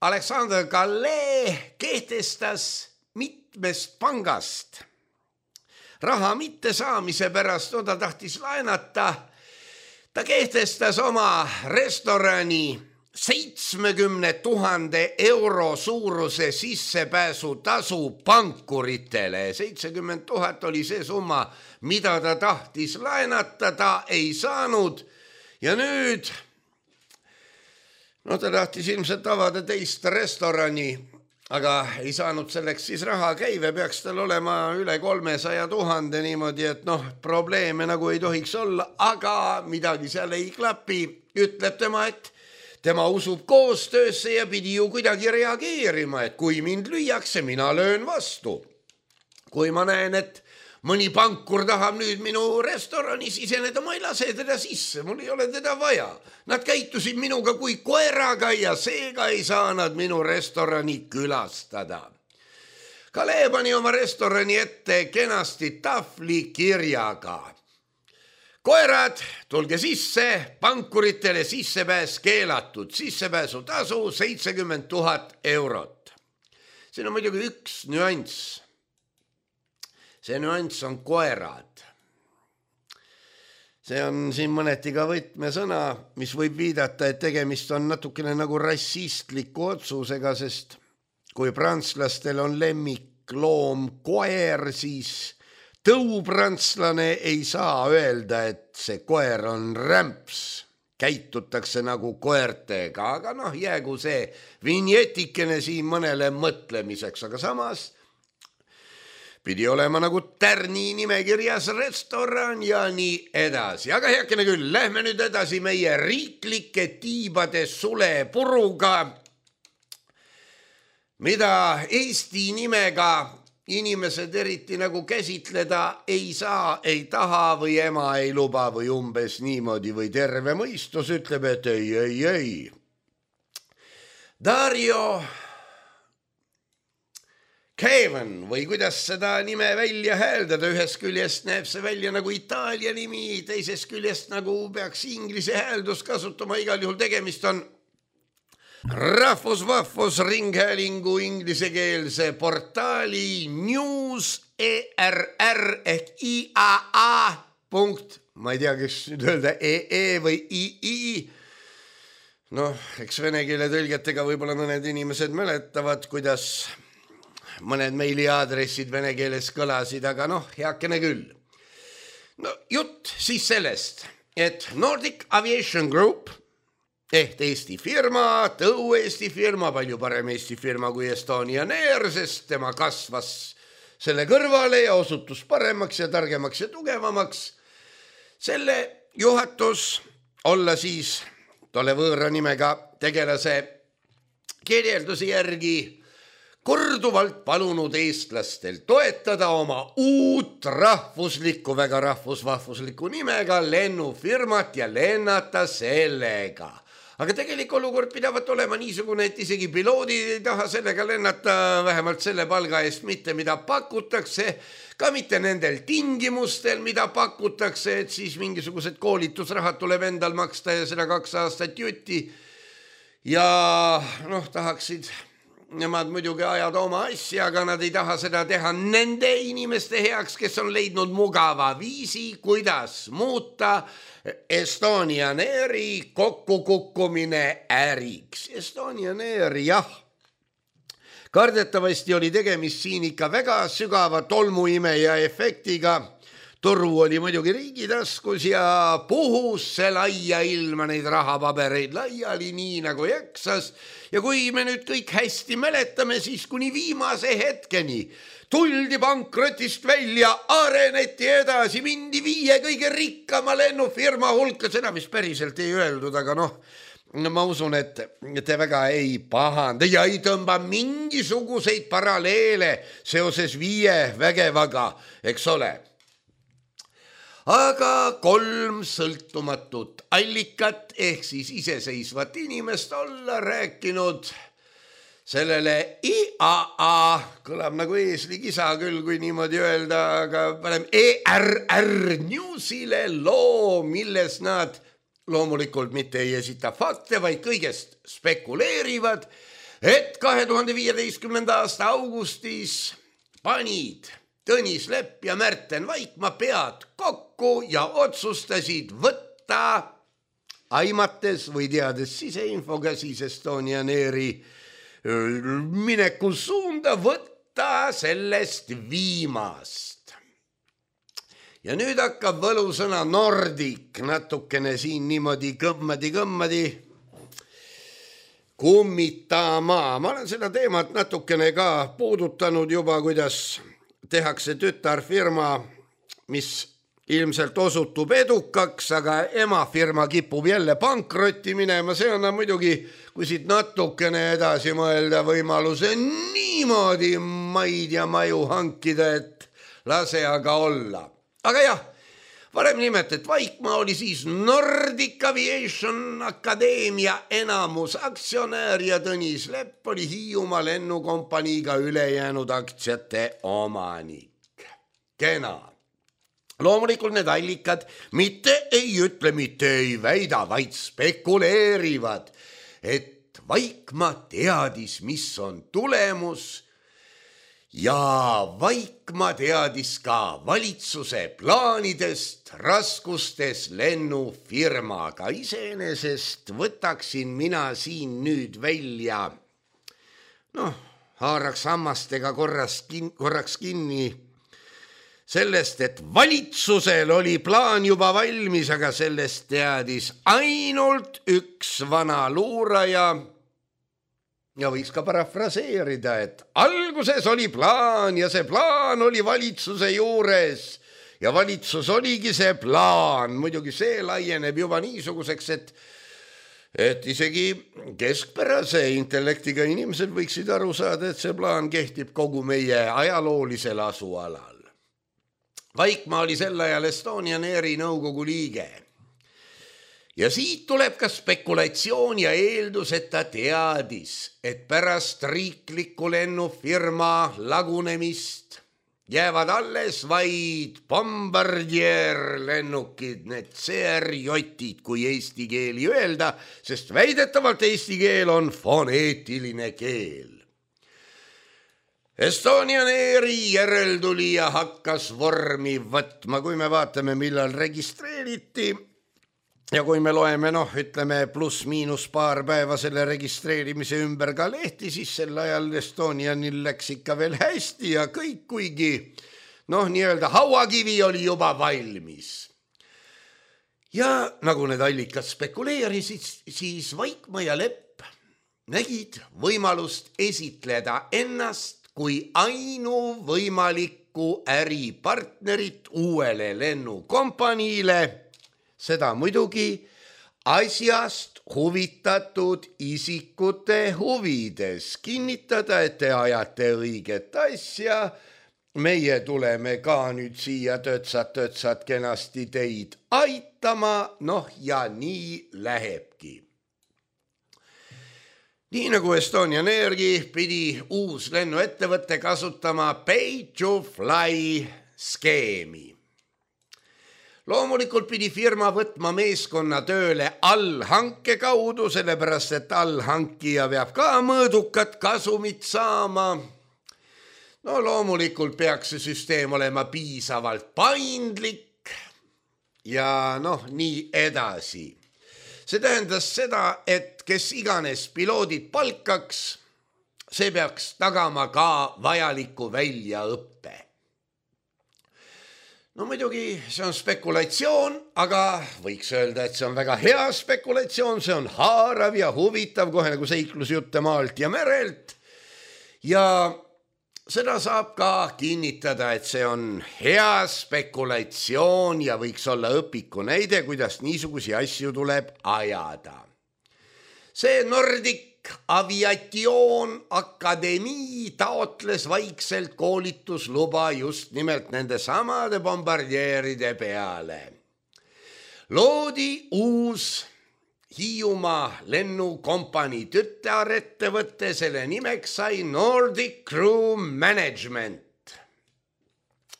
Alexander Gallet kehtestas mitmest pangast raha mitte saamise pärast, no ta tahtis laenata. Ta kehtestas oma restorani seitsmekümne tuhande euro suuruse sissepääsu tasu pankuritele. seitsekümmend tuhat oli see summa, mida ta tahtis laenata, ta ei saanud. Ja nüüd, no ta tahtis ilmselt avada teist restorani, aga ei saanud selleks siis raha. Käive peaks tal olema üle kolmesaja tuhande niimoodi, et noh, probleeme nagu ei tohiks olla, aga midagi seal ei klapi. Ütleb tema, et tema usub koostöösse ja pidi ju kuidagi reageerima, et kui mind lüüakse, mina löön vastu. Kui ma näen, et mõni pankur tahab nüüd minu restorani siseneda, ma ei lase teda sisse, mul ei ole teda vaja. Nad käitusid minuga kui koeraga ja seega ei saa nad minu restorani külastada. Kale pani oma restorani ette kenasti tahvli kirjaga. Koerad, tulge sisse, pankuritele sissepääs keelatud, sissepääsu tasu seitsekümmend tuhat eurot. Siin on muidugi üks nüanss. See nüanss on koerad. See on siin mõneti ka võtmesõna, mis võib viidata, et tegemist on natukene nagu rassistliku otsusega, sest kui prantslastel on lemmikloom koer, siis tõupranslane ei saa öelda, et see koer on rämps. Käitutakse nagu koertega, aga noh, jäägu see vinjetikene siin mõnele mõtlemiseks, aga samas pidi olema nagu tärni nimekirjas restoran ja nii edasi. Aga heakene küll, lähme nüüd edasi meie riiklike tiibade sulepuruga, mida Eesti nimega inimesed eriti nagu käsitleda ei saa, ei taha või ema ei luba või umbes niimoodi või terve mõistus ütleb, et ei, ei, ei. Dario Kevin või kuidas seda nime välja hääldada, ühest küljest näeb see välja nagu Itaalia nimi, teisest küljest nagu peaks inglise hääldus kasutama, igal juhul tegemist on Rahvusvahvus Ringhäälingu inglisekeelse portaali News E R R ehk I A A punkt, ma ei tea, kes nüüd öelda E E või I I Noh, eks vene keele tõlgetega võib-olla mõned inimesed mäletavad, kuidas mõned meiliaadressid vene keeles kõlasid, aga noh, heakene küll. No jutt siis sellest, et Nordic Aviation Group ehk Eesti firma, tõu Eesti firma, palju parem Eesti firma kui Estonian Air, sest tema kasvas selle kõrvale ja osutus paremaks ja targemaks ja tugevamaks. Selle juhatus olla siis tolle võõra nimega tegelase kirjeldusi järgi korduvalt palunud eestlastel toetada oma uut rahvuslikku, väga rahvusvahvuslikku nimega lennufirmat ja lennata sellega. Aga tegelik olukord pidavat olema niisugune, et isegi piloodid ei taha sellega lennata, vähemalt selle palga eest mitte, mida pakutakse, ka mitte nendel tingimustel, mida pakutakse, et siis mingisugused koolitusrahad tuleb endal maksta ja seda kaks aastat jutti. Ja noh, tahaksid nemad muidugi ajada oma asja, aga nad ei taha seda teha nende inimeste heaks, kes on leidnud mugava viisi, kuidas muuta Estonian Airi kokkukukkumine äriks. Estonian Air, jah. Kardetavasti oli tegemist siin ikka väga sügava tolmuimeja efektiga. Toru oli muidugi riigi taskus ja puhus see laia ilma neid rahapabereid laiali nii nagu jaksas. Ja kui me nüüd kõik hästi mäletame, siis kuni viimase hetkeni tuldi pankrotist välja, areneti edasi, mindi viie kõige rikkama lennufirma hulka, seda mis päriselt ei öeldud, aga noh, ma usun, et te väga ei pahanda ja ei tõmba mingisuguseid paralleele seoses viie vägevaga, eks ole. Aga kolm sõltumatut allikat ehk siis iseseisvat inimest olla rääkinud sellele I A A, kõlab nagu eeslikisa küll, kui niimoodi öelda, aga parem E R R Newsile loo, milles nad loomulikult mitte ei esita fakte, vaid kõigest spekuleerivad, et kahe tuhande viieteistkümnenda aasta augustis panid Tõnis Lepp ja Märten Vaikmaa pead kokku ja otsustasid võtta, aimates või teades siseinfoga siis Estonian Airi mineku suunda, võtta sellest viimast. Ja nüüd hakkab võlusõna Nordic natukene siin niimoodi kõmmadi-kõmmadi kummitama. Ma olen seda teemat natukene ka puudutanud juba, kuidas tehakse tütarfirma, mis ilmselt osutub edukaks, aga emafirma kipub jälle pankrotti minema. See on muidugi, kui siit natukene edasi mõelda, võimaluse niimoodi maid ja maju hankida, et lase aga olla. Aga jah, varem nimetet Vaikmaa oli siis Nordic Aviation Akadeemia enamus aktsionär ja Tõnis Lepp oli Hiiumaa lennukompaniiga ülejäänud aktsiate omanik. Kena. Loomulikult need allikad mitte ei ütle, mitte ei väida, vaid spekuleerivad, et Vaikmaa teadis, mis on tulemus ja Vaikmaa teadis ka valitsuse plaanidest raskustes lennufirmaga. Iseenesest võtaksin mina siin nüüd välja, noh, haaraks hammastega korras kin- korraks kinni sellest, et valitsusel oli plaan juba valmis, aga sellest teadis ainult üks vana luuraja. Ja võiks ka parafraseerida, et alguses oli plaan ja see plaan oli valitsuse juures ja valitsus oligi see plaan. Muidugi see laieneb juba niisuguseks, et, et isegi keskpärase intellektiga inimesed võiksid aru saada, et see plaan kehtib kogu meie ajaloolisel asualal. Vaikmaa oli sel ajal Estonian Airi nõukogu liige. Ja siit tuleb ka spekulatsioon ja eeldus, et ta teadis, et pärast riikliku lennufirma lagunemist jäävad alles vaid Bombardier lennukid, need C R J-id, kui eesti keeli öelda, sest väidetavalt eesti keel on foneetiline keel. Estonian Airi järeltulija hakkas vormi võtma, kui me vaatame, millal registreeriti. ja kui me loeme, noh, ütleme pluss-miinus paar päeva selle registreerimise ümber ka lehti, siis sel ajal Estonianil läks ikka veel hästi ja kõik, kuigi noh, nii-öelda hauakivi oli juba valmis. Ja nagu need allikad spekuleerisid, siis Vaikmaa ja Lepp nägid võimalust esitleda ennast kui ainuvõimalikku äripartnerit uuele lennukompaniile, seda muidugi asjast huvitatud isikute huvides. Kinnitada, et te ajate õiget asja, meie tuleme ka nüüd siia töötsad-töötsad kenasti teid aitama, noh ja nii lähebki. Nii nagu Estonian Airgi pidi uus lennuettevõte kasutama pay to fly skeemi. Loomulikult pidi firma võtma meeskonna tööle allhanke kaudu, sellepärast et allhankija peab ka mõõdukat kasumit saama. No loomulikult peaks see süsteem olema piisavalt paindlik ja noh, nii edasi. See tähendas seda, et kes iganes piloodid palkaks, see peaks tagama ka vajaliku väljaõppe. No muidugi see on spekulatsioon, aga võiks öelda, et see on väga hea spekulatsioon, see on haarav ja huvitav, kohe nagu seiklusjutte maalt ja merelt. Ja seda saab ka kinnitada, et see on hea spekulatsioon ja võiks olla õpiku näide, kuidas niisugusi asju tuleb ajada. See Nordic Aviation Akademii taotles vaikselt koolitusluba just nimelt nende samade bombardieeride peale. Loodi uus Hiiumaa lennukompanii tütarettevõte, selle nimeks sai Nordic Crew Management.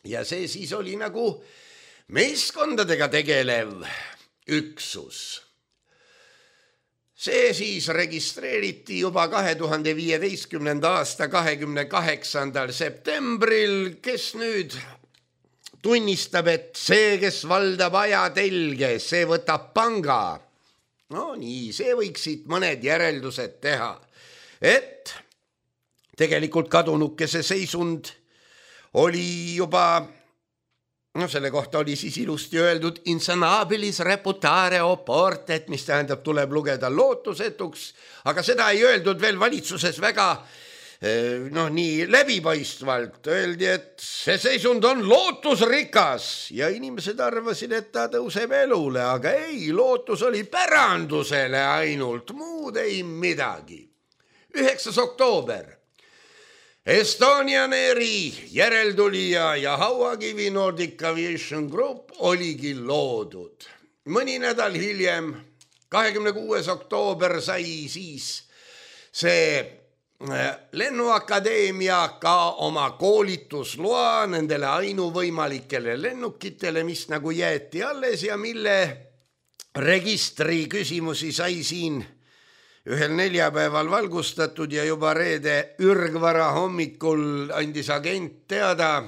Ja see siis oli nagu meeskondadega tegelev üksus. See siis registreeriti juba kahe tuhande viieteistkümnenda aasta kahekümne kaheksandal septembril, kes nüüd tunnistab, et see, kes valdab ajatelge, see võtab panga. No nii, see võiksid mõned järeldused teha, et tegelikult kadunukese seisund oli juba, no selle kohta oli siis ilusti öeldud insanabilis reputare oportet, mis tähendab, tuleb lugeda lootusetuks, aga seda ei öeldud veel valitsuses väga noh, nii läbipaistvalt. Öeldi, et see seisund on lootusrikas ja inimesed arvasid, et ta tõuseb elule, aga ei, lootus oli pärandusele ainult, muud ei midagi. üheksas oktoober. Estonian Airi järeltulija ja hauakivi Nordic Aviation Group oligi loodud. Mõni nädal hiljem, kahekümne kuues oktoober sai siis see lennuakadeemia ka oma koolitusloa nendele ainuvõimalikele lennukitele, mis nagu jäeti alles ja mille registri küsimusi sai siin ühel neljapäeval valgustatud ja juba reede ürgvara hommikul andis agent teada,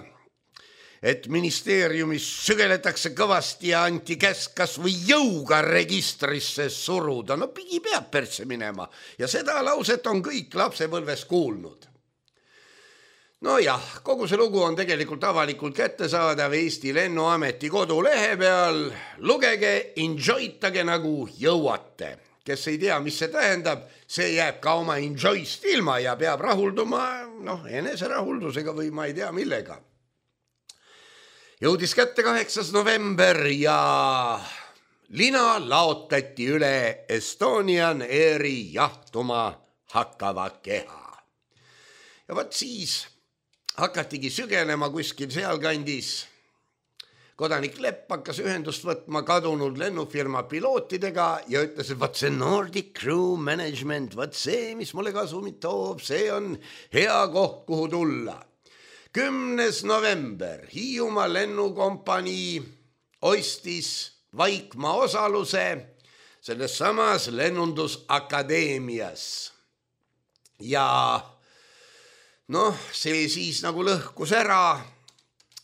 et ministeeriumis sügeletakse kõvasti ja anti käsk kas või jõuga registrisse suruda. No pigi peab persse minema ja seda lauset on kõik lapsepõlves kuulnud. No jah, kogu see lugu on tegelikult avalikult kättesaadav Eesti Lennuameti kodulehe peal. Lugege, enjoytage nagu jõuate. Kes ei tea, mis see tähendab, see jääb ka oma enjoyst ilma ja peab rahulduma, noh, eneserahuldusega või ma ei tea millega. Jõudis kätte kaheksas november ja lina laotati üle Estonian Airi jahtuma hakkava keha. Ja võt siis hakatigi sügelema kuskil sealkandis. Kodanik Lepp hakkas ühendust võtma kadunud lennufirma pilootidega ja ütles, et võt see Nordic Crew Management, võt see, mis mulle kasumit toob, see on hea koht, kuhu tulla. kümnes november Hiiumaa lennukompanii ostis Vaikmaa osaluse selles samas lennundusakadeemias. Ja noh, see siis nagu lõhkus ära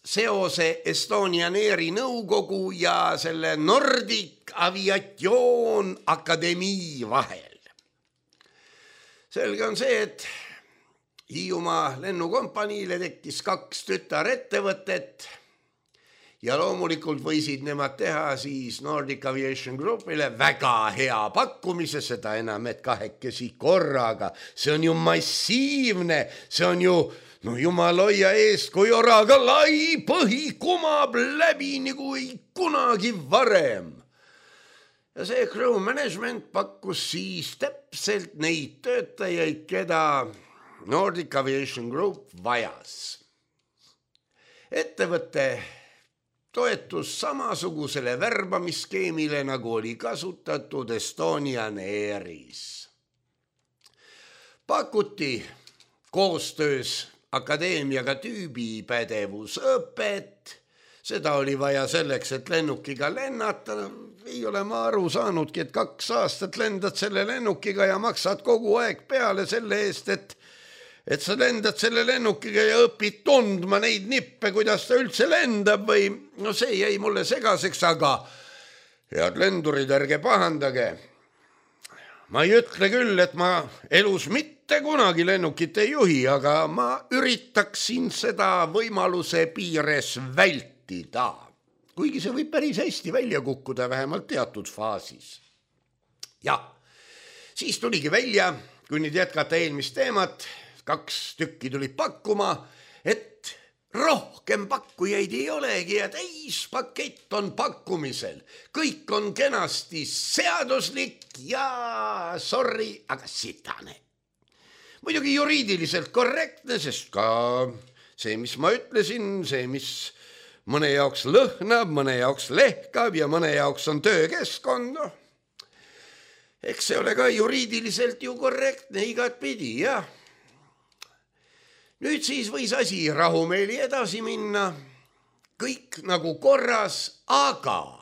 seose Estonian Airi nõukogu ja selle Nordic Aviation Akadeemii vahel. Selge on see, et Hiiumaa lennukompaniile tekkis kaks tütarettevõtet ja loomulikult võisid nemad teha siis Nordic Aviation Groupile väga hea pakkumise, seda enam, et kahekesi korraga. See on ju massiivne, see on ju, no jumal hoia eest, kui oraga lai põhi kumab läbi nagu ei kunagi varem. Ja see crew management pakkus siis täpselt neid töötajaid, keda Nordic Aviation Group vajas. Ettevõtte toetus samasugusele värbamisskeemile, nagu oli kasutatud Estonian Airis. Pakuti koostöös akadeemiaga tüübipädevusõpet, seda oli vaja selleks, et lennukiga lennata. Ei ole ma aru saanudki, et kaks aastat lendad selle lennukiga ja maksad kogu aeg peale selle eest, et et sa lendad selle lennukiga ja õpid tundma neid nippe, kuidas ta üldse lendab või no see jäi mulle segaseks, aga head lendurid, ärge pahandage. Ma ei ütle küll, et ma elus mitte kunagi lennukit ei juhi, aga ma üritaksin seda võimaluse piires vältida, kuigi see võib päris hästi välja kukkuda, vähemalt teatud faasis. Ja, siis tuligi välja, kui nüüd jätkata eelmist teemat, kaks tükki tulid pakkuma, et rohkem pakkujaid ei olegi ja täispakett on pakkumisel. Kõik on kenasti seaduslik ja sorry, aga sitane. Muidugi juriidiliselt korrektne, sest ka see, mis ma ütlesin, see, mis mõne jaoks lõhnab, mõne jaoks lehkab ja mõne jaoks on töökeskkond. Eks see ole ka juriidiliselt ju korrektne igat pidi, jah. Nüüd siis võis asi rahumeeli edasi minna, kõik nagu korras, aga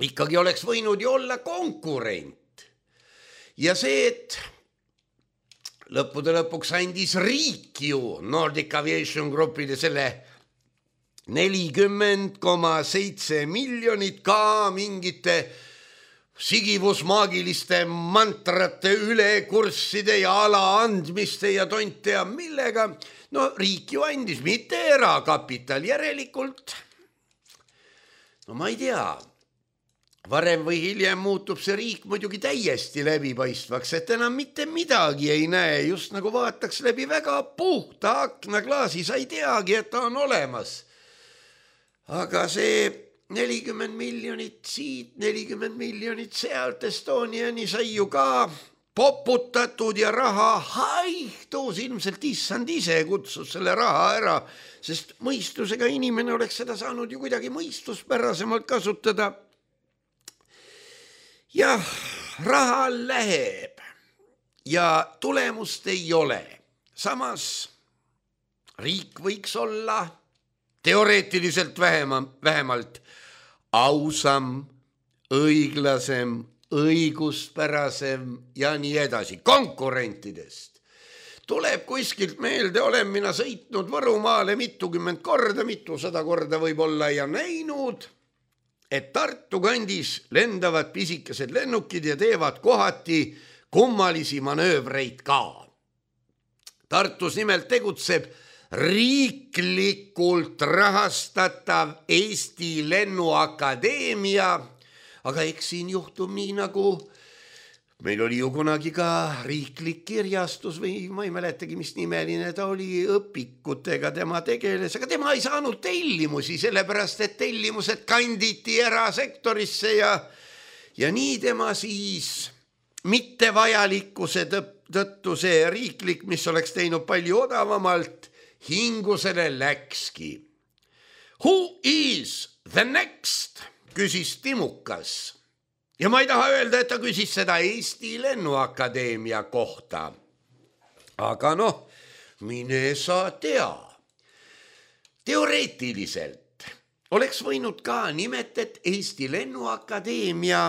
ikkagi oleks võinud ju olla konkurent. Ja see, et lõppude lõpuks andis riik ju Nordic Aviation Groupile selle nelikümmend koma seitse miljonit ka mingite sigivusmaagiliste mantrate ülekursside ja ala andmiste ja tonte ja millega. No riik ju andis, mitte erakapital järelikult. No ma ei tea, varem või hiljem muutub see riik muidugi täiesti läbipaistvaks, et enam mitte midagi ei näe, just nagu vaataks läbi väga puhta aknaklaasi, sa ei teagi, et ta on olemas. Aga see nelikümmend miljonit siit, nelikümmend miljonit sealt, Estoniani sai ju ka poputatud ja raha haihtus, ilmselt issand ise kutsus selle raha ära, sest mõistusega inimene oleks seda saanud ju kuidagi mõistuspärasemalt kasutada. Jah, raha läheb ja tulemust ei ole. Samas riik võiks olla teoreetiliselt vähema, vähemalt ausam, õiglasem, õiguspärasem ja nii edasi. Konkurentidest tuleb kuskilt meelde, olen mina sõitnud Võrumaale mitukümmend korda, mitusada korda võib-olla ja näinud, et Tartu kandis lendavad pisikesed lennukid ja teevad kohati kummalisi manöövreid ka. Tartus nimelt tegutseb riiklikult rahastatav Eesti Lennuakadeemia, aga eks siin juhtub nii nagu meil oli ju kunagi ka riiklik kirjastus või ma ei mäletagi, mis nimeline ta oli, õpikutega tema tegeles, aga tema ei saanud tellimusi, sellepärast et tellimused kanditi erasektorisse ja, ja nii tema siis mittevajalikkuse tõttu see riiklik, mis oleks teinud palju odavamalt, hingusele läkski. Who is the next? Küsis Timukas. Ja ma ei taha öelda, et ta küsis seda Eesti Lennuakadeemia kohta. Aga noh, mine sa tea. Teoreetiliselt oleks võinud ka nimet, et Eesti Lennuakadeemia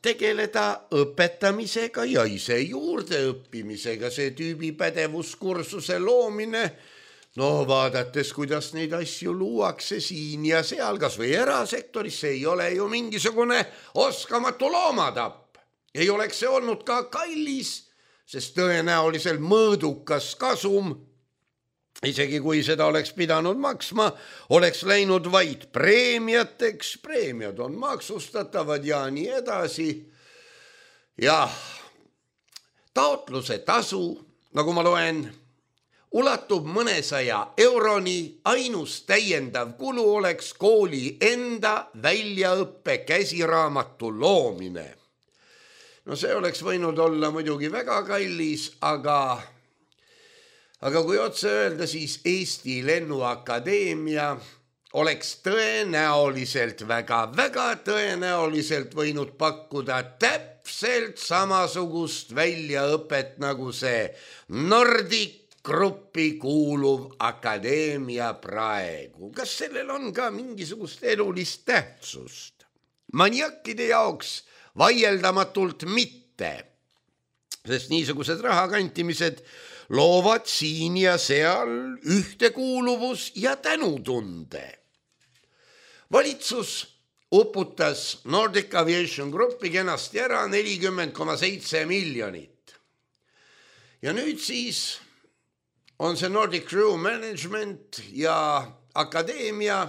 tegeleda õpetamisega ja ise juurde õppimisega, see tüübi pädevuskursuse loomine. no vaadates, kuidas neid asju luuakse siin ja seal, kas või erasektoris, see ei ole ju mingisugune oskamatu loomatapp. Ei oleks see olnud ka kallis, sest tõenäoliselt mõõdukas kasum, isegi kui seda oleks pidanud maksma, oleks läinud vaid preemiateks, preemiad on maksustatavad ja nii edasi. Jah, taotluse tasu, nagu ma loen, ulatub mõnesaja euroni, ainus täiendav kulu oleks kooli enda väljaõppe käsiraamatu loomine. No see oleks võinud olla muidugi väga kallis, aga, aga kui otse öelda, siis Eesti Lennuakadeemia oleks tõenäoliselt, väga, väga tõenäoliselt võinud pakkuda täpselt samasugust väljaõpet nagu see Nordic gruppi kuuluv akadeemia praegu. Kas sellel on ka mingisugust elulist tähtsust? Maniakkide jaoks vaieldamatult mitte, sest niisugused rahakantimised loovad siin ja seal ühtekuuluvus ja tänutunde. Valitsus uputas Nordic Aviation Gruppi kenasti ära nelikümmend koma seitse miljonit. Ja nüüd siis on see Nordic Crew Management ja akadeemia,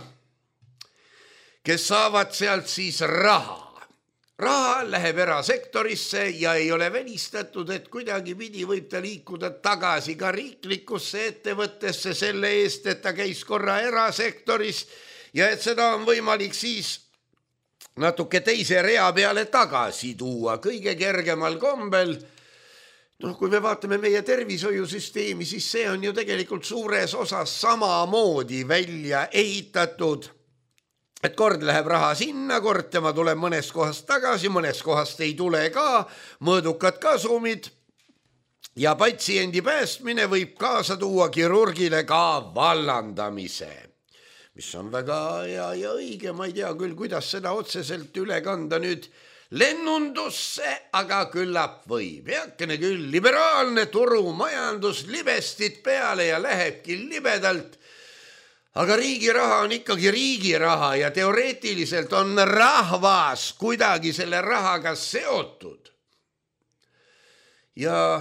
kes saavad sealt siis raha. Raha läheb erasektorisse ja ei ole välistatud, et kuidagi pidi võib ta liikuda tagasi ka riiklikusse ettevõttesse selle eest, et ta käis korra erasektoris ja et seda on võimalik siis natuke teise rea peale tagasi tuua kõige kergemal kombel. Noh, kui me vaatame meie tervishoiusüsteemi, siis see on ju tegelikult suures osas samamoodi välja ehitatud, et kord läheb raha sinna, kord tema tuleb mõnest kohast tagasi, mõnest kohast ei tule ka, mõõdukad kasumid ja patsiendi päästmine võib kaasa tuua kirurgile ka vallandamise, mis on väga hea ja õige, ma ei tea küll, kuidas seda otseselt üle kanda nüüd lennundusse, aga küllap võib. Heakene küll, liberaalne turumajandus libestit peale ja lähebki libedalt, aga riigi raha on ikkagi riigi raha ja teoreetiliselt on rahvas kuidagi selle rahaga seotud. Ja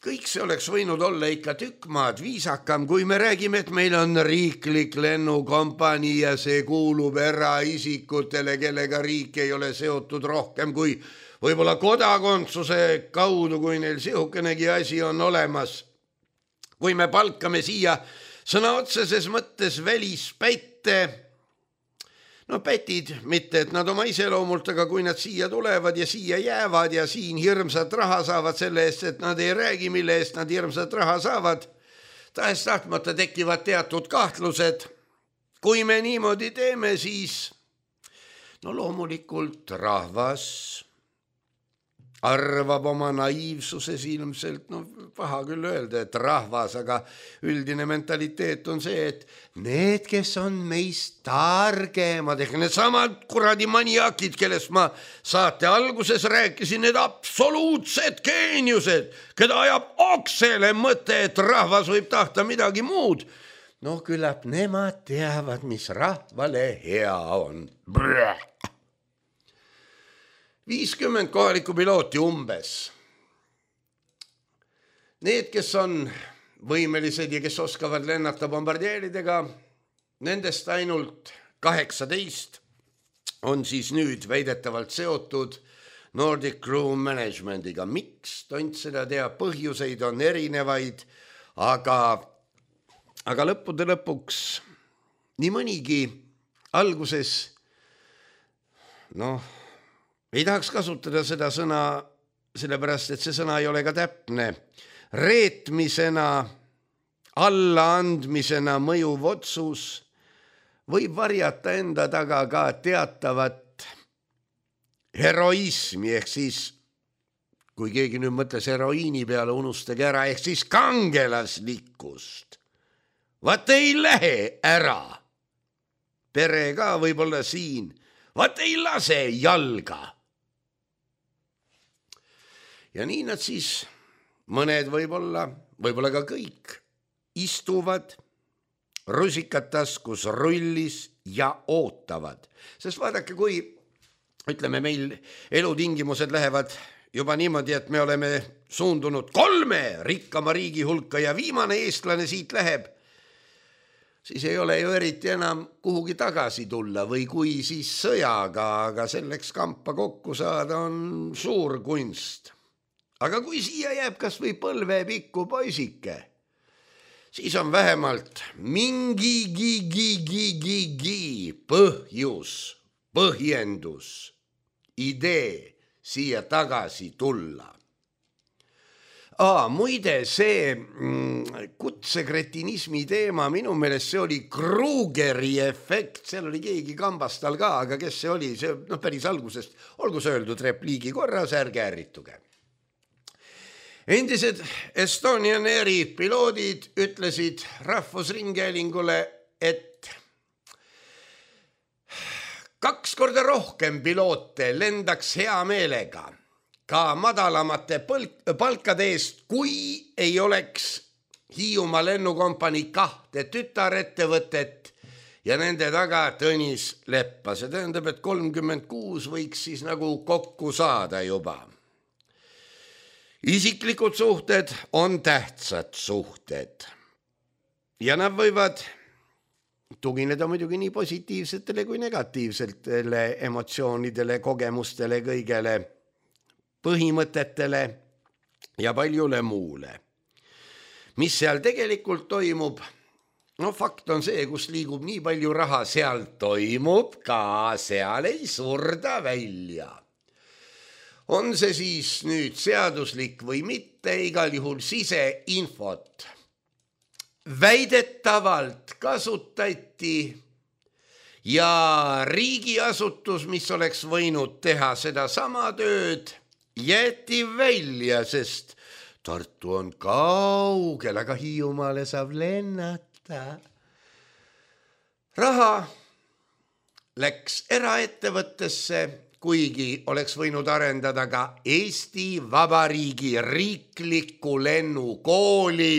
kõik see oleks võinud olla ikka tükk maad viisakam, kui me räägime, et meil on riiklik lennukompanii ja see kuulub eraisikutele, kellega riik ei ole seotud rohkem kui võib-olla kodakondsuse kaudu, kui neil sihukenegi asi on olemas. Kui me palkame siia sõna otseses mõttes välispätte, no pätid, mitte et nad oma iseloomult, aga kui nad siia tulevad ja siia jäävad ja siin hirmsat raha saavad selle eest, et nad ei räägi, mille eest nad hirmsat raha saavad, tahes tahtmata tekivad teatud kahtlused. Kui me niimoodi teeme, siis no loomulikult rahvas arvab oma naiivsuses ilmselt, no paha küll öelda, et rahvas, aga üldine mentaliteet on see, et need, kes on meist targemad, ehk need samad kuradi maniakid, kellest ma saate alguses rääkisin, need absoluutsed geeniused, keda ajab oksele mõte, et rahvas võib tahta midagi muud. No küllap nemad teavad, mis rahvale hea on. Brrr. viiskümmend kohalikku pilooti umbes. Need, kes on võimelised ja kes oskavad lennata bombardieeridega, nendest ainult kaheksateist on siis nüüd väidetavalt seotud Nordic Crew Managementiga. Miks? Tont seda teab, põhjuseid on erinevaid, aga, aga lõppude lõpuks nii mõnigi alguses, noh, ei tahaks kasutada seda sõna, sellepärast, et see sõna ei ole ka täpne. Reetmisena, allaandmisena mõjuv otsus võib varjata enda taga ka teatavat heroismi, ehk siis, kui keegi nüüd mõtles heroiini peale, unustage ära, ehk siis kangelaslikkust. Vaat ei lähe ära. Pere ka võib-olla siin. Vaat ei lase jalga. Ja nii nad siis, mõned võib-olla, võib-olla ka kõik, istuvad rusikad taskus rullis ja ootavad. Sest vaadake, kui ütleme, meil elutingimused lähevad juba niimoodi, et me oleme suundunud kolme rikkama riigi hulka ja viimane eestlane siit läheb, siis ei ole ju eriti enam kuhugi tagasi tulla või kui siis sõjaga, aga selleks kampa kokku saada on suur kunst. Aga kui siia jääb kas või põlvepikku poisike, siis on vähemalt mingi gi-gi-gi-gi-gi põhjus, põhjendus, idee siia tagasi tulla. Aa, muide, see mm, kutsekretinismi teema, minu meelest see oli Krugeri efekt, seal oli keegi kambastal ka, aga kes see oli, see no, päris algusest, olgu see öeldud repliigi korras, ärge ärrituge. Endised Estonian Airi piloodid ütlesid Rahvusringhäälingule, et kaks korda rohkem piloote lendaks hea meelega ka madalamate palkade eest, kui ei oleks Hiiumaa lennukompanii kahte tütarettevõtet ja nende taga Tõnis Leppa. See tähendab, et kolmkümmend kuus võiks siis nagu kokku saada juba. Isiklikud suhted on tähtsad suhted ja nad võivad tugineda muidugi nii positiivsetele kui negatiivsetele emotsioonidele, kogemustele, kõigele, põhimõtetele ja paljule muule. Mis seal tegelikult toimub? No fakt on see, kus liigub nii palju raha, seal toimub ka, seal ei surda välja. On see siis nüüd seaduslik või mitte, igal juhul siseinfot väidetavalt kasutati ja riigiasutus, mis oleks võinud teha seda sama tööd, jäeti välja, sest Tartu on kaugel, aga Hiiumaale saab lennata. Raha läks eraettevõttesse, kuigi oleks võinud arendada ka Eesti Vabariigi riiklikku lennukooli,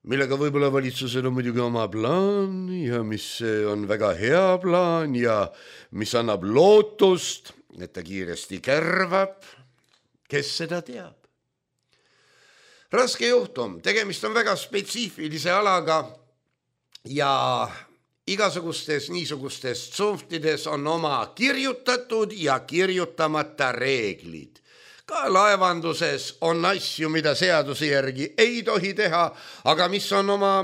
millega võib-olla valitsusel on muidugi oma plaan ja mis on väga hea plaan ja mis annab lootust, et ta kiiresti kärvab, kes seda teab. Raske juhtum, tegemist on väga spetsiifilise alaga ja igasugustes niisugustes tsunftides on oma kirjutatud ja kirjutamata reeglid. Ka laevanduses on asju, mida seaduse järgi ei tohi teha, aga mis on oma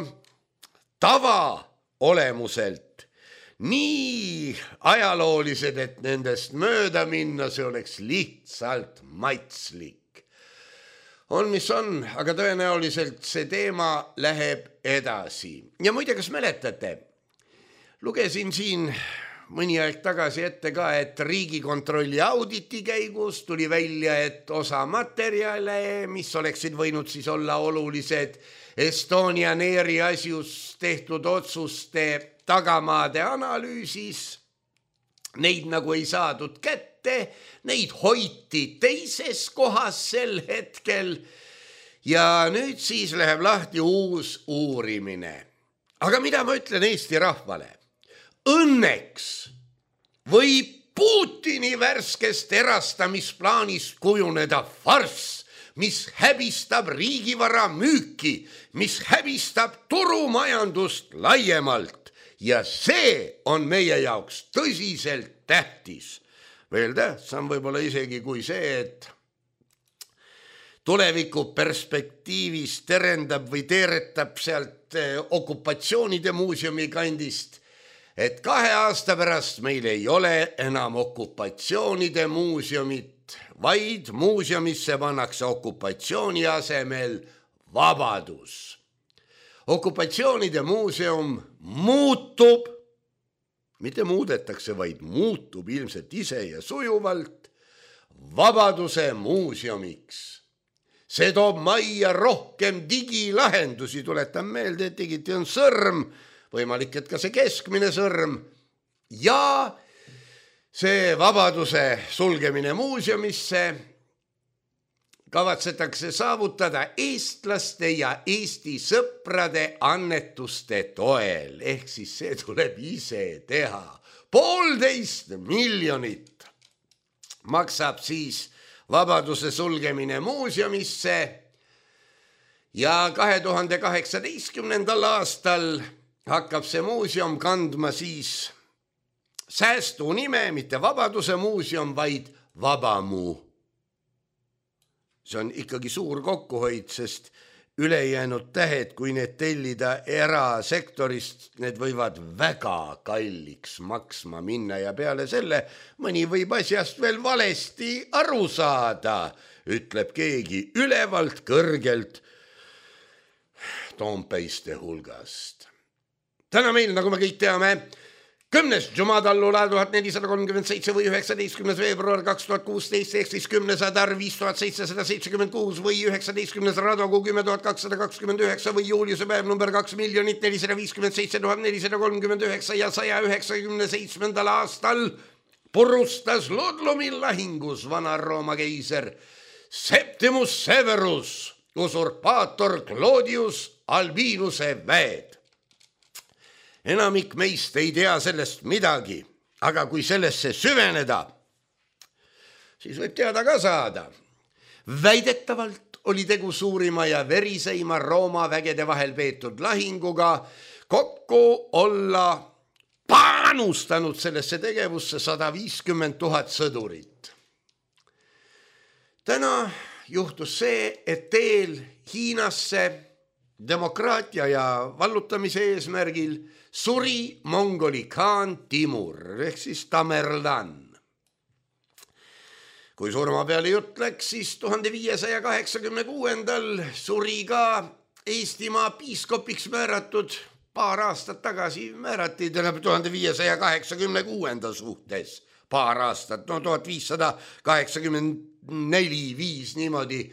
tava olemuselt nii ajaloolised, et nendest mööda minna, see oleks lihtsalt maitslik. On, mis on, aga tõenäoliselt see teema läheb edasi. Ja muide, kas mäletate? Lugesin siin mõni aeg tagasi ette ka, et Riigikontrolli auditi käigus tuli välja, et osa materjale, mis oleksid võinud siis olla olulised Estonian Airi asjus tehtud otsuste tagamaade analüüsis, neid nagu ei saadud kätte, neid hoiti teises kohas sel hetkel ja nüüd siis läheb lahti uus uurimine. Aga mida ma ütlen Eesti rahvale? Õnneks võib Putini värskest erastamisplaanist kujuneda farss, mis häbistab riigivara müüki, mis häbistab turumajandust laiemalt. Ja see on meie jaoks tõsiselt tähtis. Veel tähtsam võib-olla isegi kui see, et tuleviku perspektiivis terendab või teeretab sealt okupatsioonide muuseumi kandist, et kahe aasta pärast meil ei ole enam okupatsioonide muuseumit, vaid muuseumisse pannakse okupatsiooni asemel vabadus. Okupatsioonide muuseum muutub, mitte muudetakse, vaid muutub ilmselt ise ja sujuvalt vabaduse muuseumiks. See toob majja rohkem digilahendusi, tuletan meelde, et digiti on sõrm, võimalik, et ka see keskmine sõrm ja see vabaduse sulgemine muuseumisse kavatsetakse saavutada eestlaste ja Eesti sõprade annetuste toel, ehk siis see tuleb ise teha. Poolteist miljonit maksab siis Vabaduse sulgemine muuseumisse ja kahe tuhande kaheksateistkümnendal aastal hakkab see muuseum kandma siis säästu nime, mitte Vabaduse muuseum, vaid Vabamuu. See on ikkagi suur kokkuhoid, sest ülejäänud tähed, kui need tellida erasektorist, need võivad väga kalliks maksma minna ja peale selle mõni võib asjast veel valesti aru saada, ütleb keegi ülevalt kõrgelt Toompeiste hulgast. Täna meil, nagu me kõik teame, kümnes Jumadallula tuhat nelisada kolmkümmend seitse või üheksateistkümnes veebruar kaks tuhat kuusteist ehk siis kümnesada viis tuhat seitsesada seitsekümmend kuus või üheksateistkümnes Radokuu kümme tuhat kakssada kakskümmend üheksa või juuliuse päev number kaks miljonit nelisada viiskümmend seitse tuhat nelisada kolmkümmend üheksa ja saja üheksakümne seitsmendal aastal purustas Ludlumi lahingus Vana-Rooma keiser Septimus Severus usurpaator Claudius Albinuse väed. Enamik meist ei tea sellest midagi, aga kui sellesse süveneda, siis võib teada ka saada. Väidetavalt oli tegu suurima ja veriseima Rooma vägede vahel peetud lahinguga, kokku olla panustanud sellesse tegevusse sada viiskümmend tuhat sõdurit. Täna juhtus see, et teel Hiinasse demokraatia ja vallutamise eesmärgil suri Mongoli khaan Timur ehk siis Tamerlan. Kui surma peale jutt läks, siis tuhande viiesaja kaheksakümne kuuendal suri ka Eestimaa piiskopiks määratud, paar aastat tagasi määrati tuhande viiesaja kaheksakümne kuuenda suhtes, paar aastat, no tuhat viissada kaheksakümmend neli, viis niimoodi,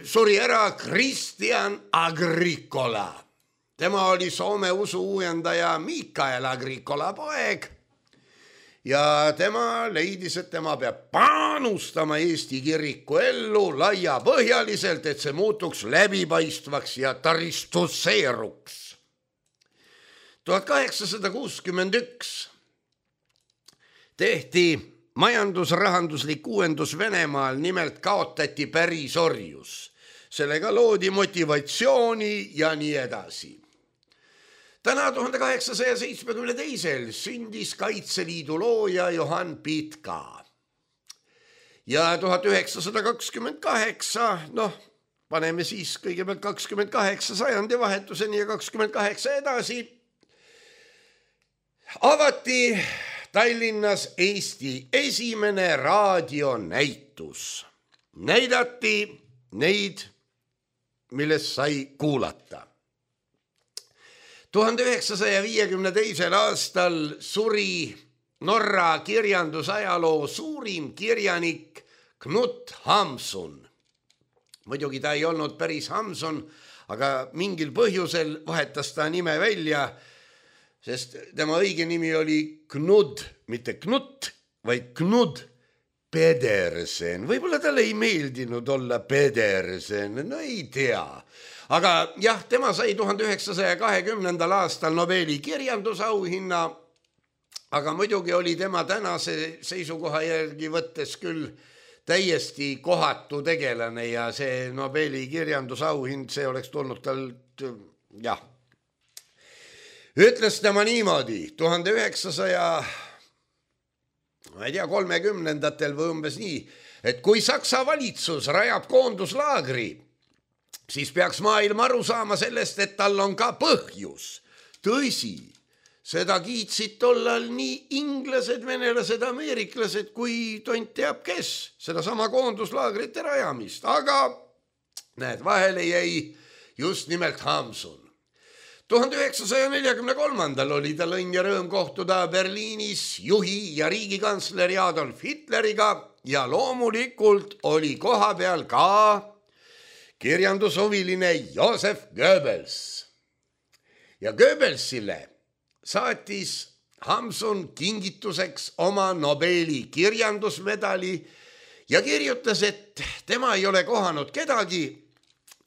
suri ära Kristjan Agricola. Tema oli Soome usu uuendaja Mikael Agricola poeg ja tema leidis, et tema peab panustama Eesti kiriku ellu laiapõhjaliselt, et see muutuks läbipaistvaks ja taristusseeruks. tuhat kaheksasada kuuskümmend üks tehti majandusrahanduslik uuendus Venemaal, nimelt kaotati pärisorjus. Sellega loodi motivatsiooni ja nii edasi. Täna tuhande kaheksasaja seitsmekümne teisel sündis Kaitseliidu looja Johann Pitka. Ja tuhat üheksasada kakskümmend kaheksa, noh, paneme siis kõigepealt kakskümmend kaheksa sajandi vahetuseni ja kakskümmend kaheksa edasi, avati Tallinnas Eesti esimene raadionäitus. Näidati neid, millest sai kuulata. tuhande üheksasaja viiekümne teisel aastal suri Norra kirjandusajaloo suurim kirjanik Knut Hamsun. Muidugi ta ei olnud päris Hamsun, aga mingil põhjusel vahetas ta nime välja, sest tema õige nimi oli Knud, mitte Knut, vaid Knud Pedersen. Võib-olla talle ei meeldinud olla Pedersen, no ei tea. Aga jah, tema sai tuhande üheksasaja kahekümnendal aastal Nobeli kirjandusauhinna, aga muidugi oli tema tänase seisukoha järgi võttes küll täiesti kohatu tegelane ja see Nobeli kirjandusauhind, see oleks tulnud tal, jah. Ütles tema niimoodi, tuhande üheksasaja ma ei tea, kolmekümnendatel või umbes nii, et kui Saksa valitsus rajab koonduslaagri, siis peaks maailm aru saama sellest, et tal on ka põhjus. Tõsi, seda kiitsid tollal nii inglased, venelased, ameeriklased kui tont teab kes, seda sama koonduslaagrite rajamist, aga näed, vahele jäi just nimelt Hamsun. tuhande üheksasaja neljakümne kolmandal oli tal õnn ja rõõm kohtuda Berliinis juhi ja riigikantsleri Adolf Hitleriga ja loomulikult oli koha peal ka kirjandushuviline Joseph Goebbels. Ja Goebbelsile saatis Hamsun kingituseks oma Nobeli kirjandusmedali ja kirjutas, et tema ei ole kohanud kedagi,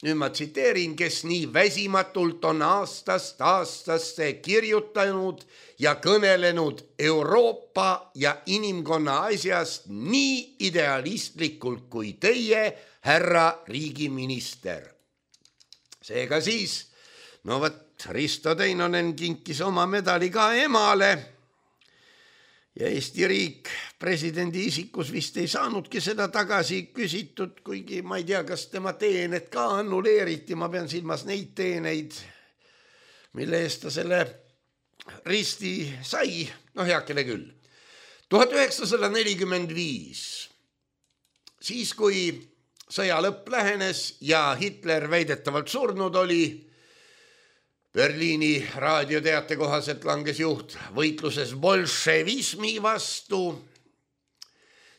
nüüd ma tsiteerin, kes nii väsimatult on aastast aastasse kirjutanud ja kõnelenud Euroopa ja inimkonna asjast nii idealistlikult kui teie, härra riigiminister. Seega siis, no võt, Risto Teinonen kinkis oma medali ka emale ja Eesti riik presidendi isikus vist ei saanudki seda tagasi küsitud, kuigi ma ei tea, kas tema teened ka annuleeriti, ma pean silmas neid teeneid, mille eest ta selle risti sai, noh heakene küll. tuhat üheksasada nelikümmend viis, siis kui sõja lõpp lähenes ja Hitler väidetavalt surnud oli, Berliini raadioteate kohaselt langes juht võitluses bolševismi vastu,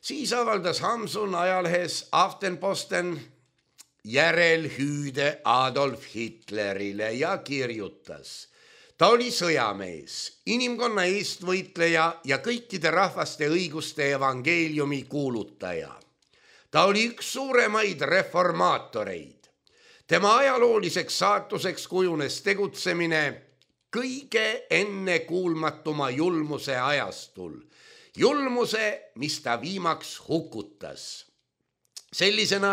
siis avaldas Hamsun ajalehes Aftenposten järelhüüde Adolf Hitlerile ja kirjutas. Ta oli sõjamees, inimkonna eestvõitleja ja kõikide rahvaste õiguste evangeeliumi kuulutaja. Ta oli üks suuremaid reformaatoreid. Tema ajalooliseks saatuseks kujunes tegutsemine kõige ennekuulmatuma julmuse ajastul. Julmuse, mis ta viimaks hukutas. Sellisena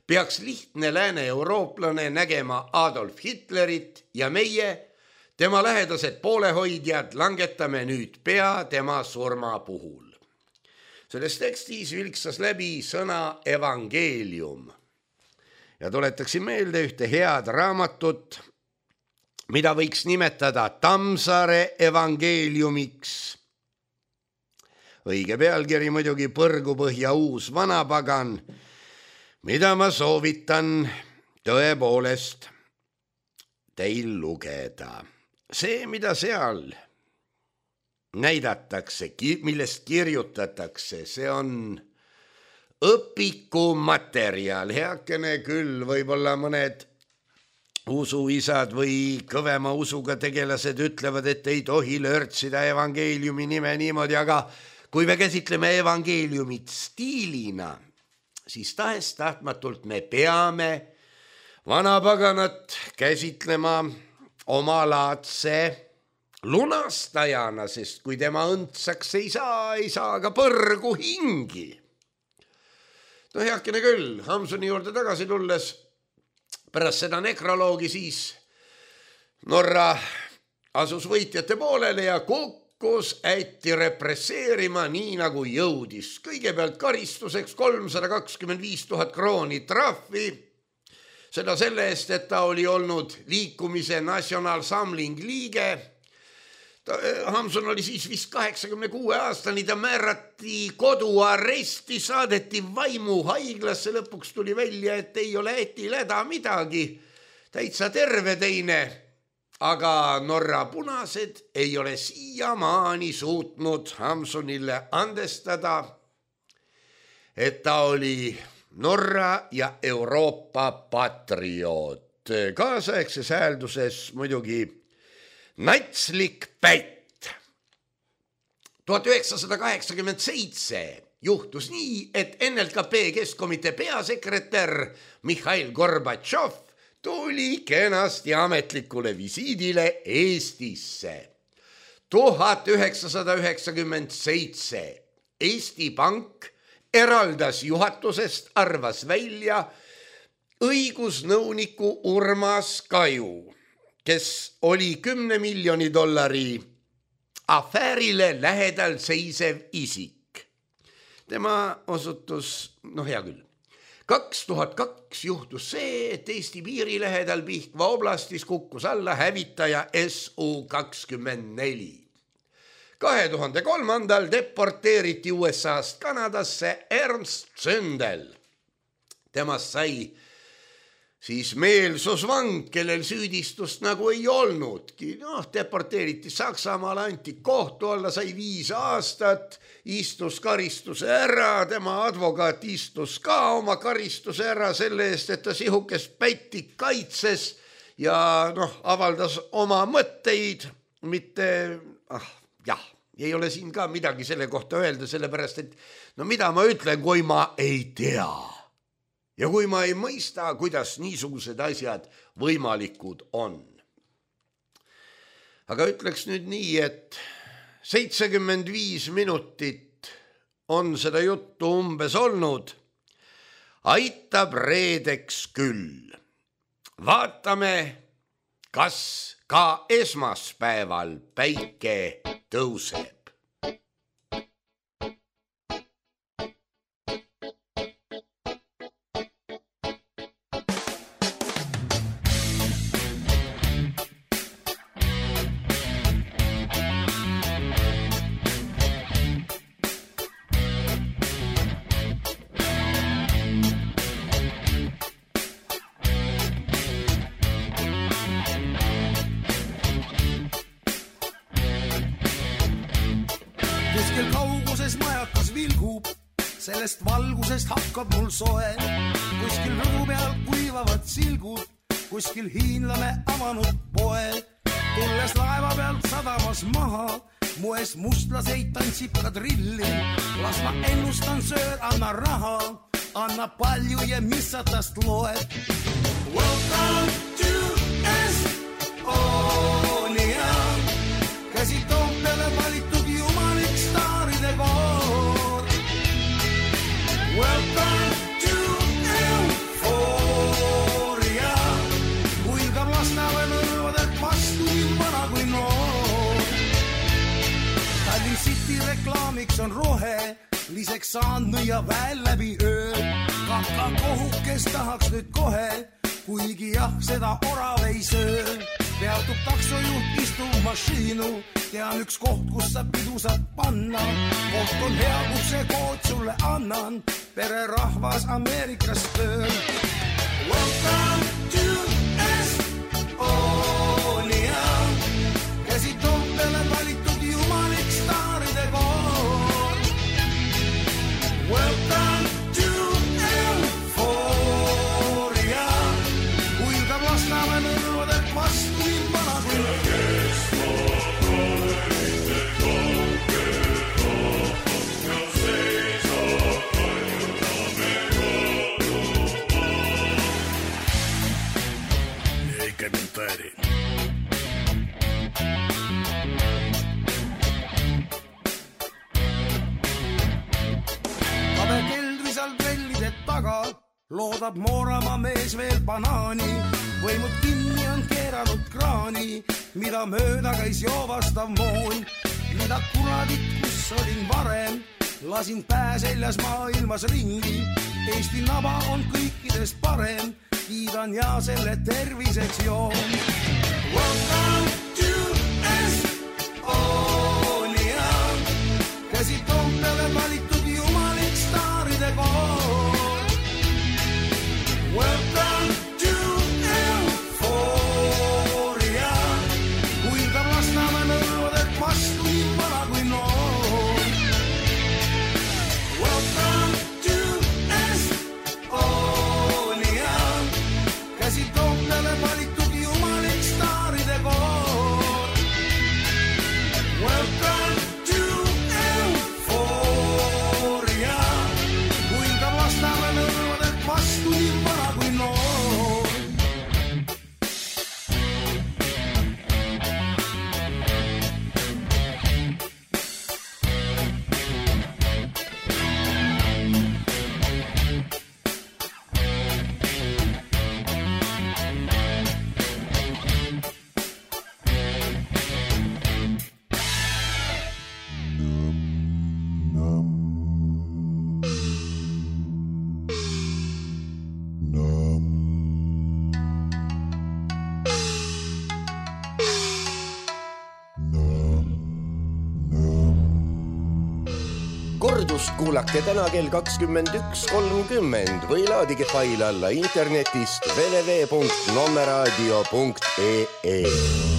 peaks lihtne lääne-eurooplane nägema Adolf Hitlerit ja meie, tema lähedased poolehoidjad, langetame nüüd pea tema surma puhul. Selles tekstis vilksas läbi sõna evangeelium. Ja tuletaksin meelde ühte head raamatut, mida võiks nimetada Tammsaare evangeeliumiks. Õige pealkiri muidugi Põrgupõhja uus vanapagan, mida ma soovitan tõepoolest teil lugeda. See, mida seal näidatakse, millest kirjutatakse, see on õpikumaterjal, heakene küll, võib-olla mõned usuisad või kõvema usuga tegelased ütlevad, et ei tohi lörtsida evangeeliumi nime niimoodi, aga kui me käsitleme evangeeliumit stiilina, siis tahes tahtmatult me peame vanapaganat käsitlema omalaadse lunastajana, sest kui tema õndsaks ei saa, ei saa ka põrgu hingi. No heakene küll, Hamsuni juurde tagasi tulles, pärast seda nekroloogi siis Norra asus võitjate poolele ja kukkus ätti represseerima nii nagu jõudis. Kõigepealt karistuseks kolmsada kakskümmend viis tuhat krooni trahvi, seda selle eest, et ta oli olnud liikumise National Samling liige. Hamsun oli siis vist kaheksakümne kuue aastani, ta määrati koduaresti, saadeti vaimuhaiglasse, lõpuks tuli välja, et ei ole ätil häda midagi, täitsa terve teine, aga Norra punased ei ole siiamaani suutnud Hamsunile andestada, et ta oli Norra ja Euroopa patrioot. Kaasaegses häälduses muidugi natslik pätt. tuhat üheksasada kaheksakümmend seitse juhtus nii, et N L K P Keskkomitee peasekretär Mihhail Gorbatšov tuli kenasti ametlikule visiidile Eestisse. tuhat üheksasada üheksakümmend seitse Eesti Pank eraldas juhatusest, arvas välja õigusnõuniku Urmas Kaju, kes oli kümne miljoni dollari afäärile lähedal seisev isik. Tema osutus, noh hea küll. kaks tuhat kaks juhtus see, et Eesti piiri lähedal Pihkva oblastis kukkus alla hävitaja S U kakskümmend neli. kahe tuhande kolmandal deporteeriti U S A-st Kanadasse Ernst Zündel. Temast sai siis meelsusvang, kellel süüdistust nagu ei olnudki. Noh, deporteeriti Saksamaale, anti kohtu alla, sai viis aastat, istus karistuse ära, tema advokaat istus ka oma karistuse ära selle eest, et ta sihukest pätti kaitses ja noh, avaldas oma mõtteid, mitte, ah, jah, ei ole siin ka midagi selle kohta öelda, sellepärast et no mida ma ütlen, kui ma ei tea ja kui ma ei mõista, kuidas niisugused asjad võimalikud on. Aga ütleks nüüd nii, et seitsekümmend viis minutit on seda juttu umbes olnud. Aitab reedeks küll. Vaatame, kas ka esmaspäeval päike tõuseb. Kuskil kauguses majakas vilgub, sellest valgusest hakkab mul soe. Kuskil rõdu peal kuivavad silgud, kuskil hiinlane avanud poe. Tulles laeva pealt sadamas maha, moes mustlaseid tantsib kadrilli. Las ma ennustan söör, anna raha, anna palju ja mis sa tast loed. Welcome to Estonia, käsi Toompeale valitud jumalik staaride koor. Welcome to Euphoria, huilgab Lasnamäe nõrvadelt vastu nii vana kui noor. Tallinn City reklaamiks on rohe, liseks saanud nõia väel läbi öö. Kaka kohukes tahaks nüüd kohe, kuigi jah, seda orav ei söö. Peatub taksojuht, istub mašiinu, tean üks koht, kus sa pidu saad panna. Koht on hea, kus see kood sulle annan, pererahvas Ameerikas tööl. Welcome to Estonia, käsi Toompeale valitud jumalik staaride koor. Welcome to Euphoria, huilgab Lasnamäe nõrvadelt vastu nii vana kui loodab Mooramaa mees veel banaani, võimud kinni on keeranud kraani, mida mööda käis joovastav moon. Mida kuradit, kus olin varem, lasin pää seljas maailmas ringi. Eesti naba on kõikidest parem, kiidan ja selle terviseks joon. Welcome to Estonia, käsi Toompeale valitud jumalik staaride koor. Welcome to Euphoria, huilgab Lasnamäe nõrvadelt vastu nii vana kui noor. Welcome to Estonia, käsi Toompeale valitud jumalik staaride koor. Welcome to Euphoria, huilgab Lasnamäe nõrvadelt vastu nii vana kui noor. Kordust kuulake täna kell kakskümmend üks kolmkümmend või laadige fail alla internetist w w w punkt nomeradio punkt e e.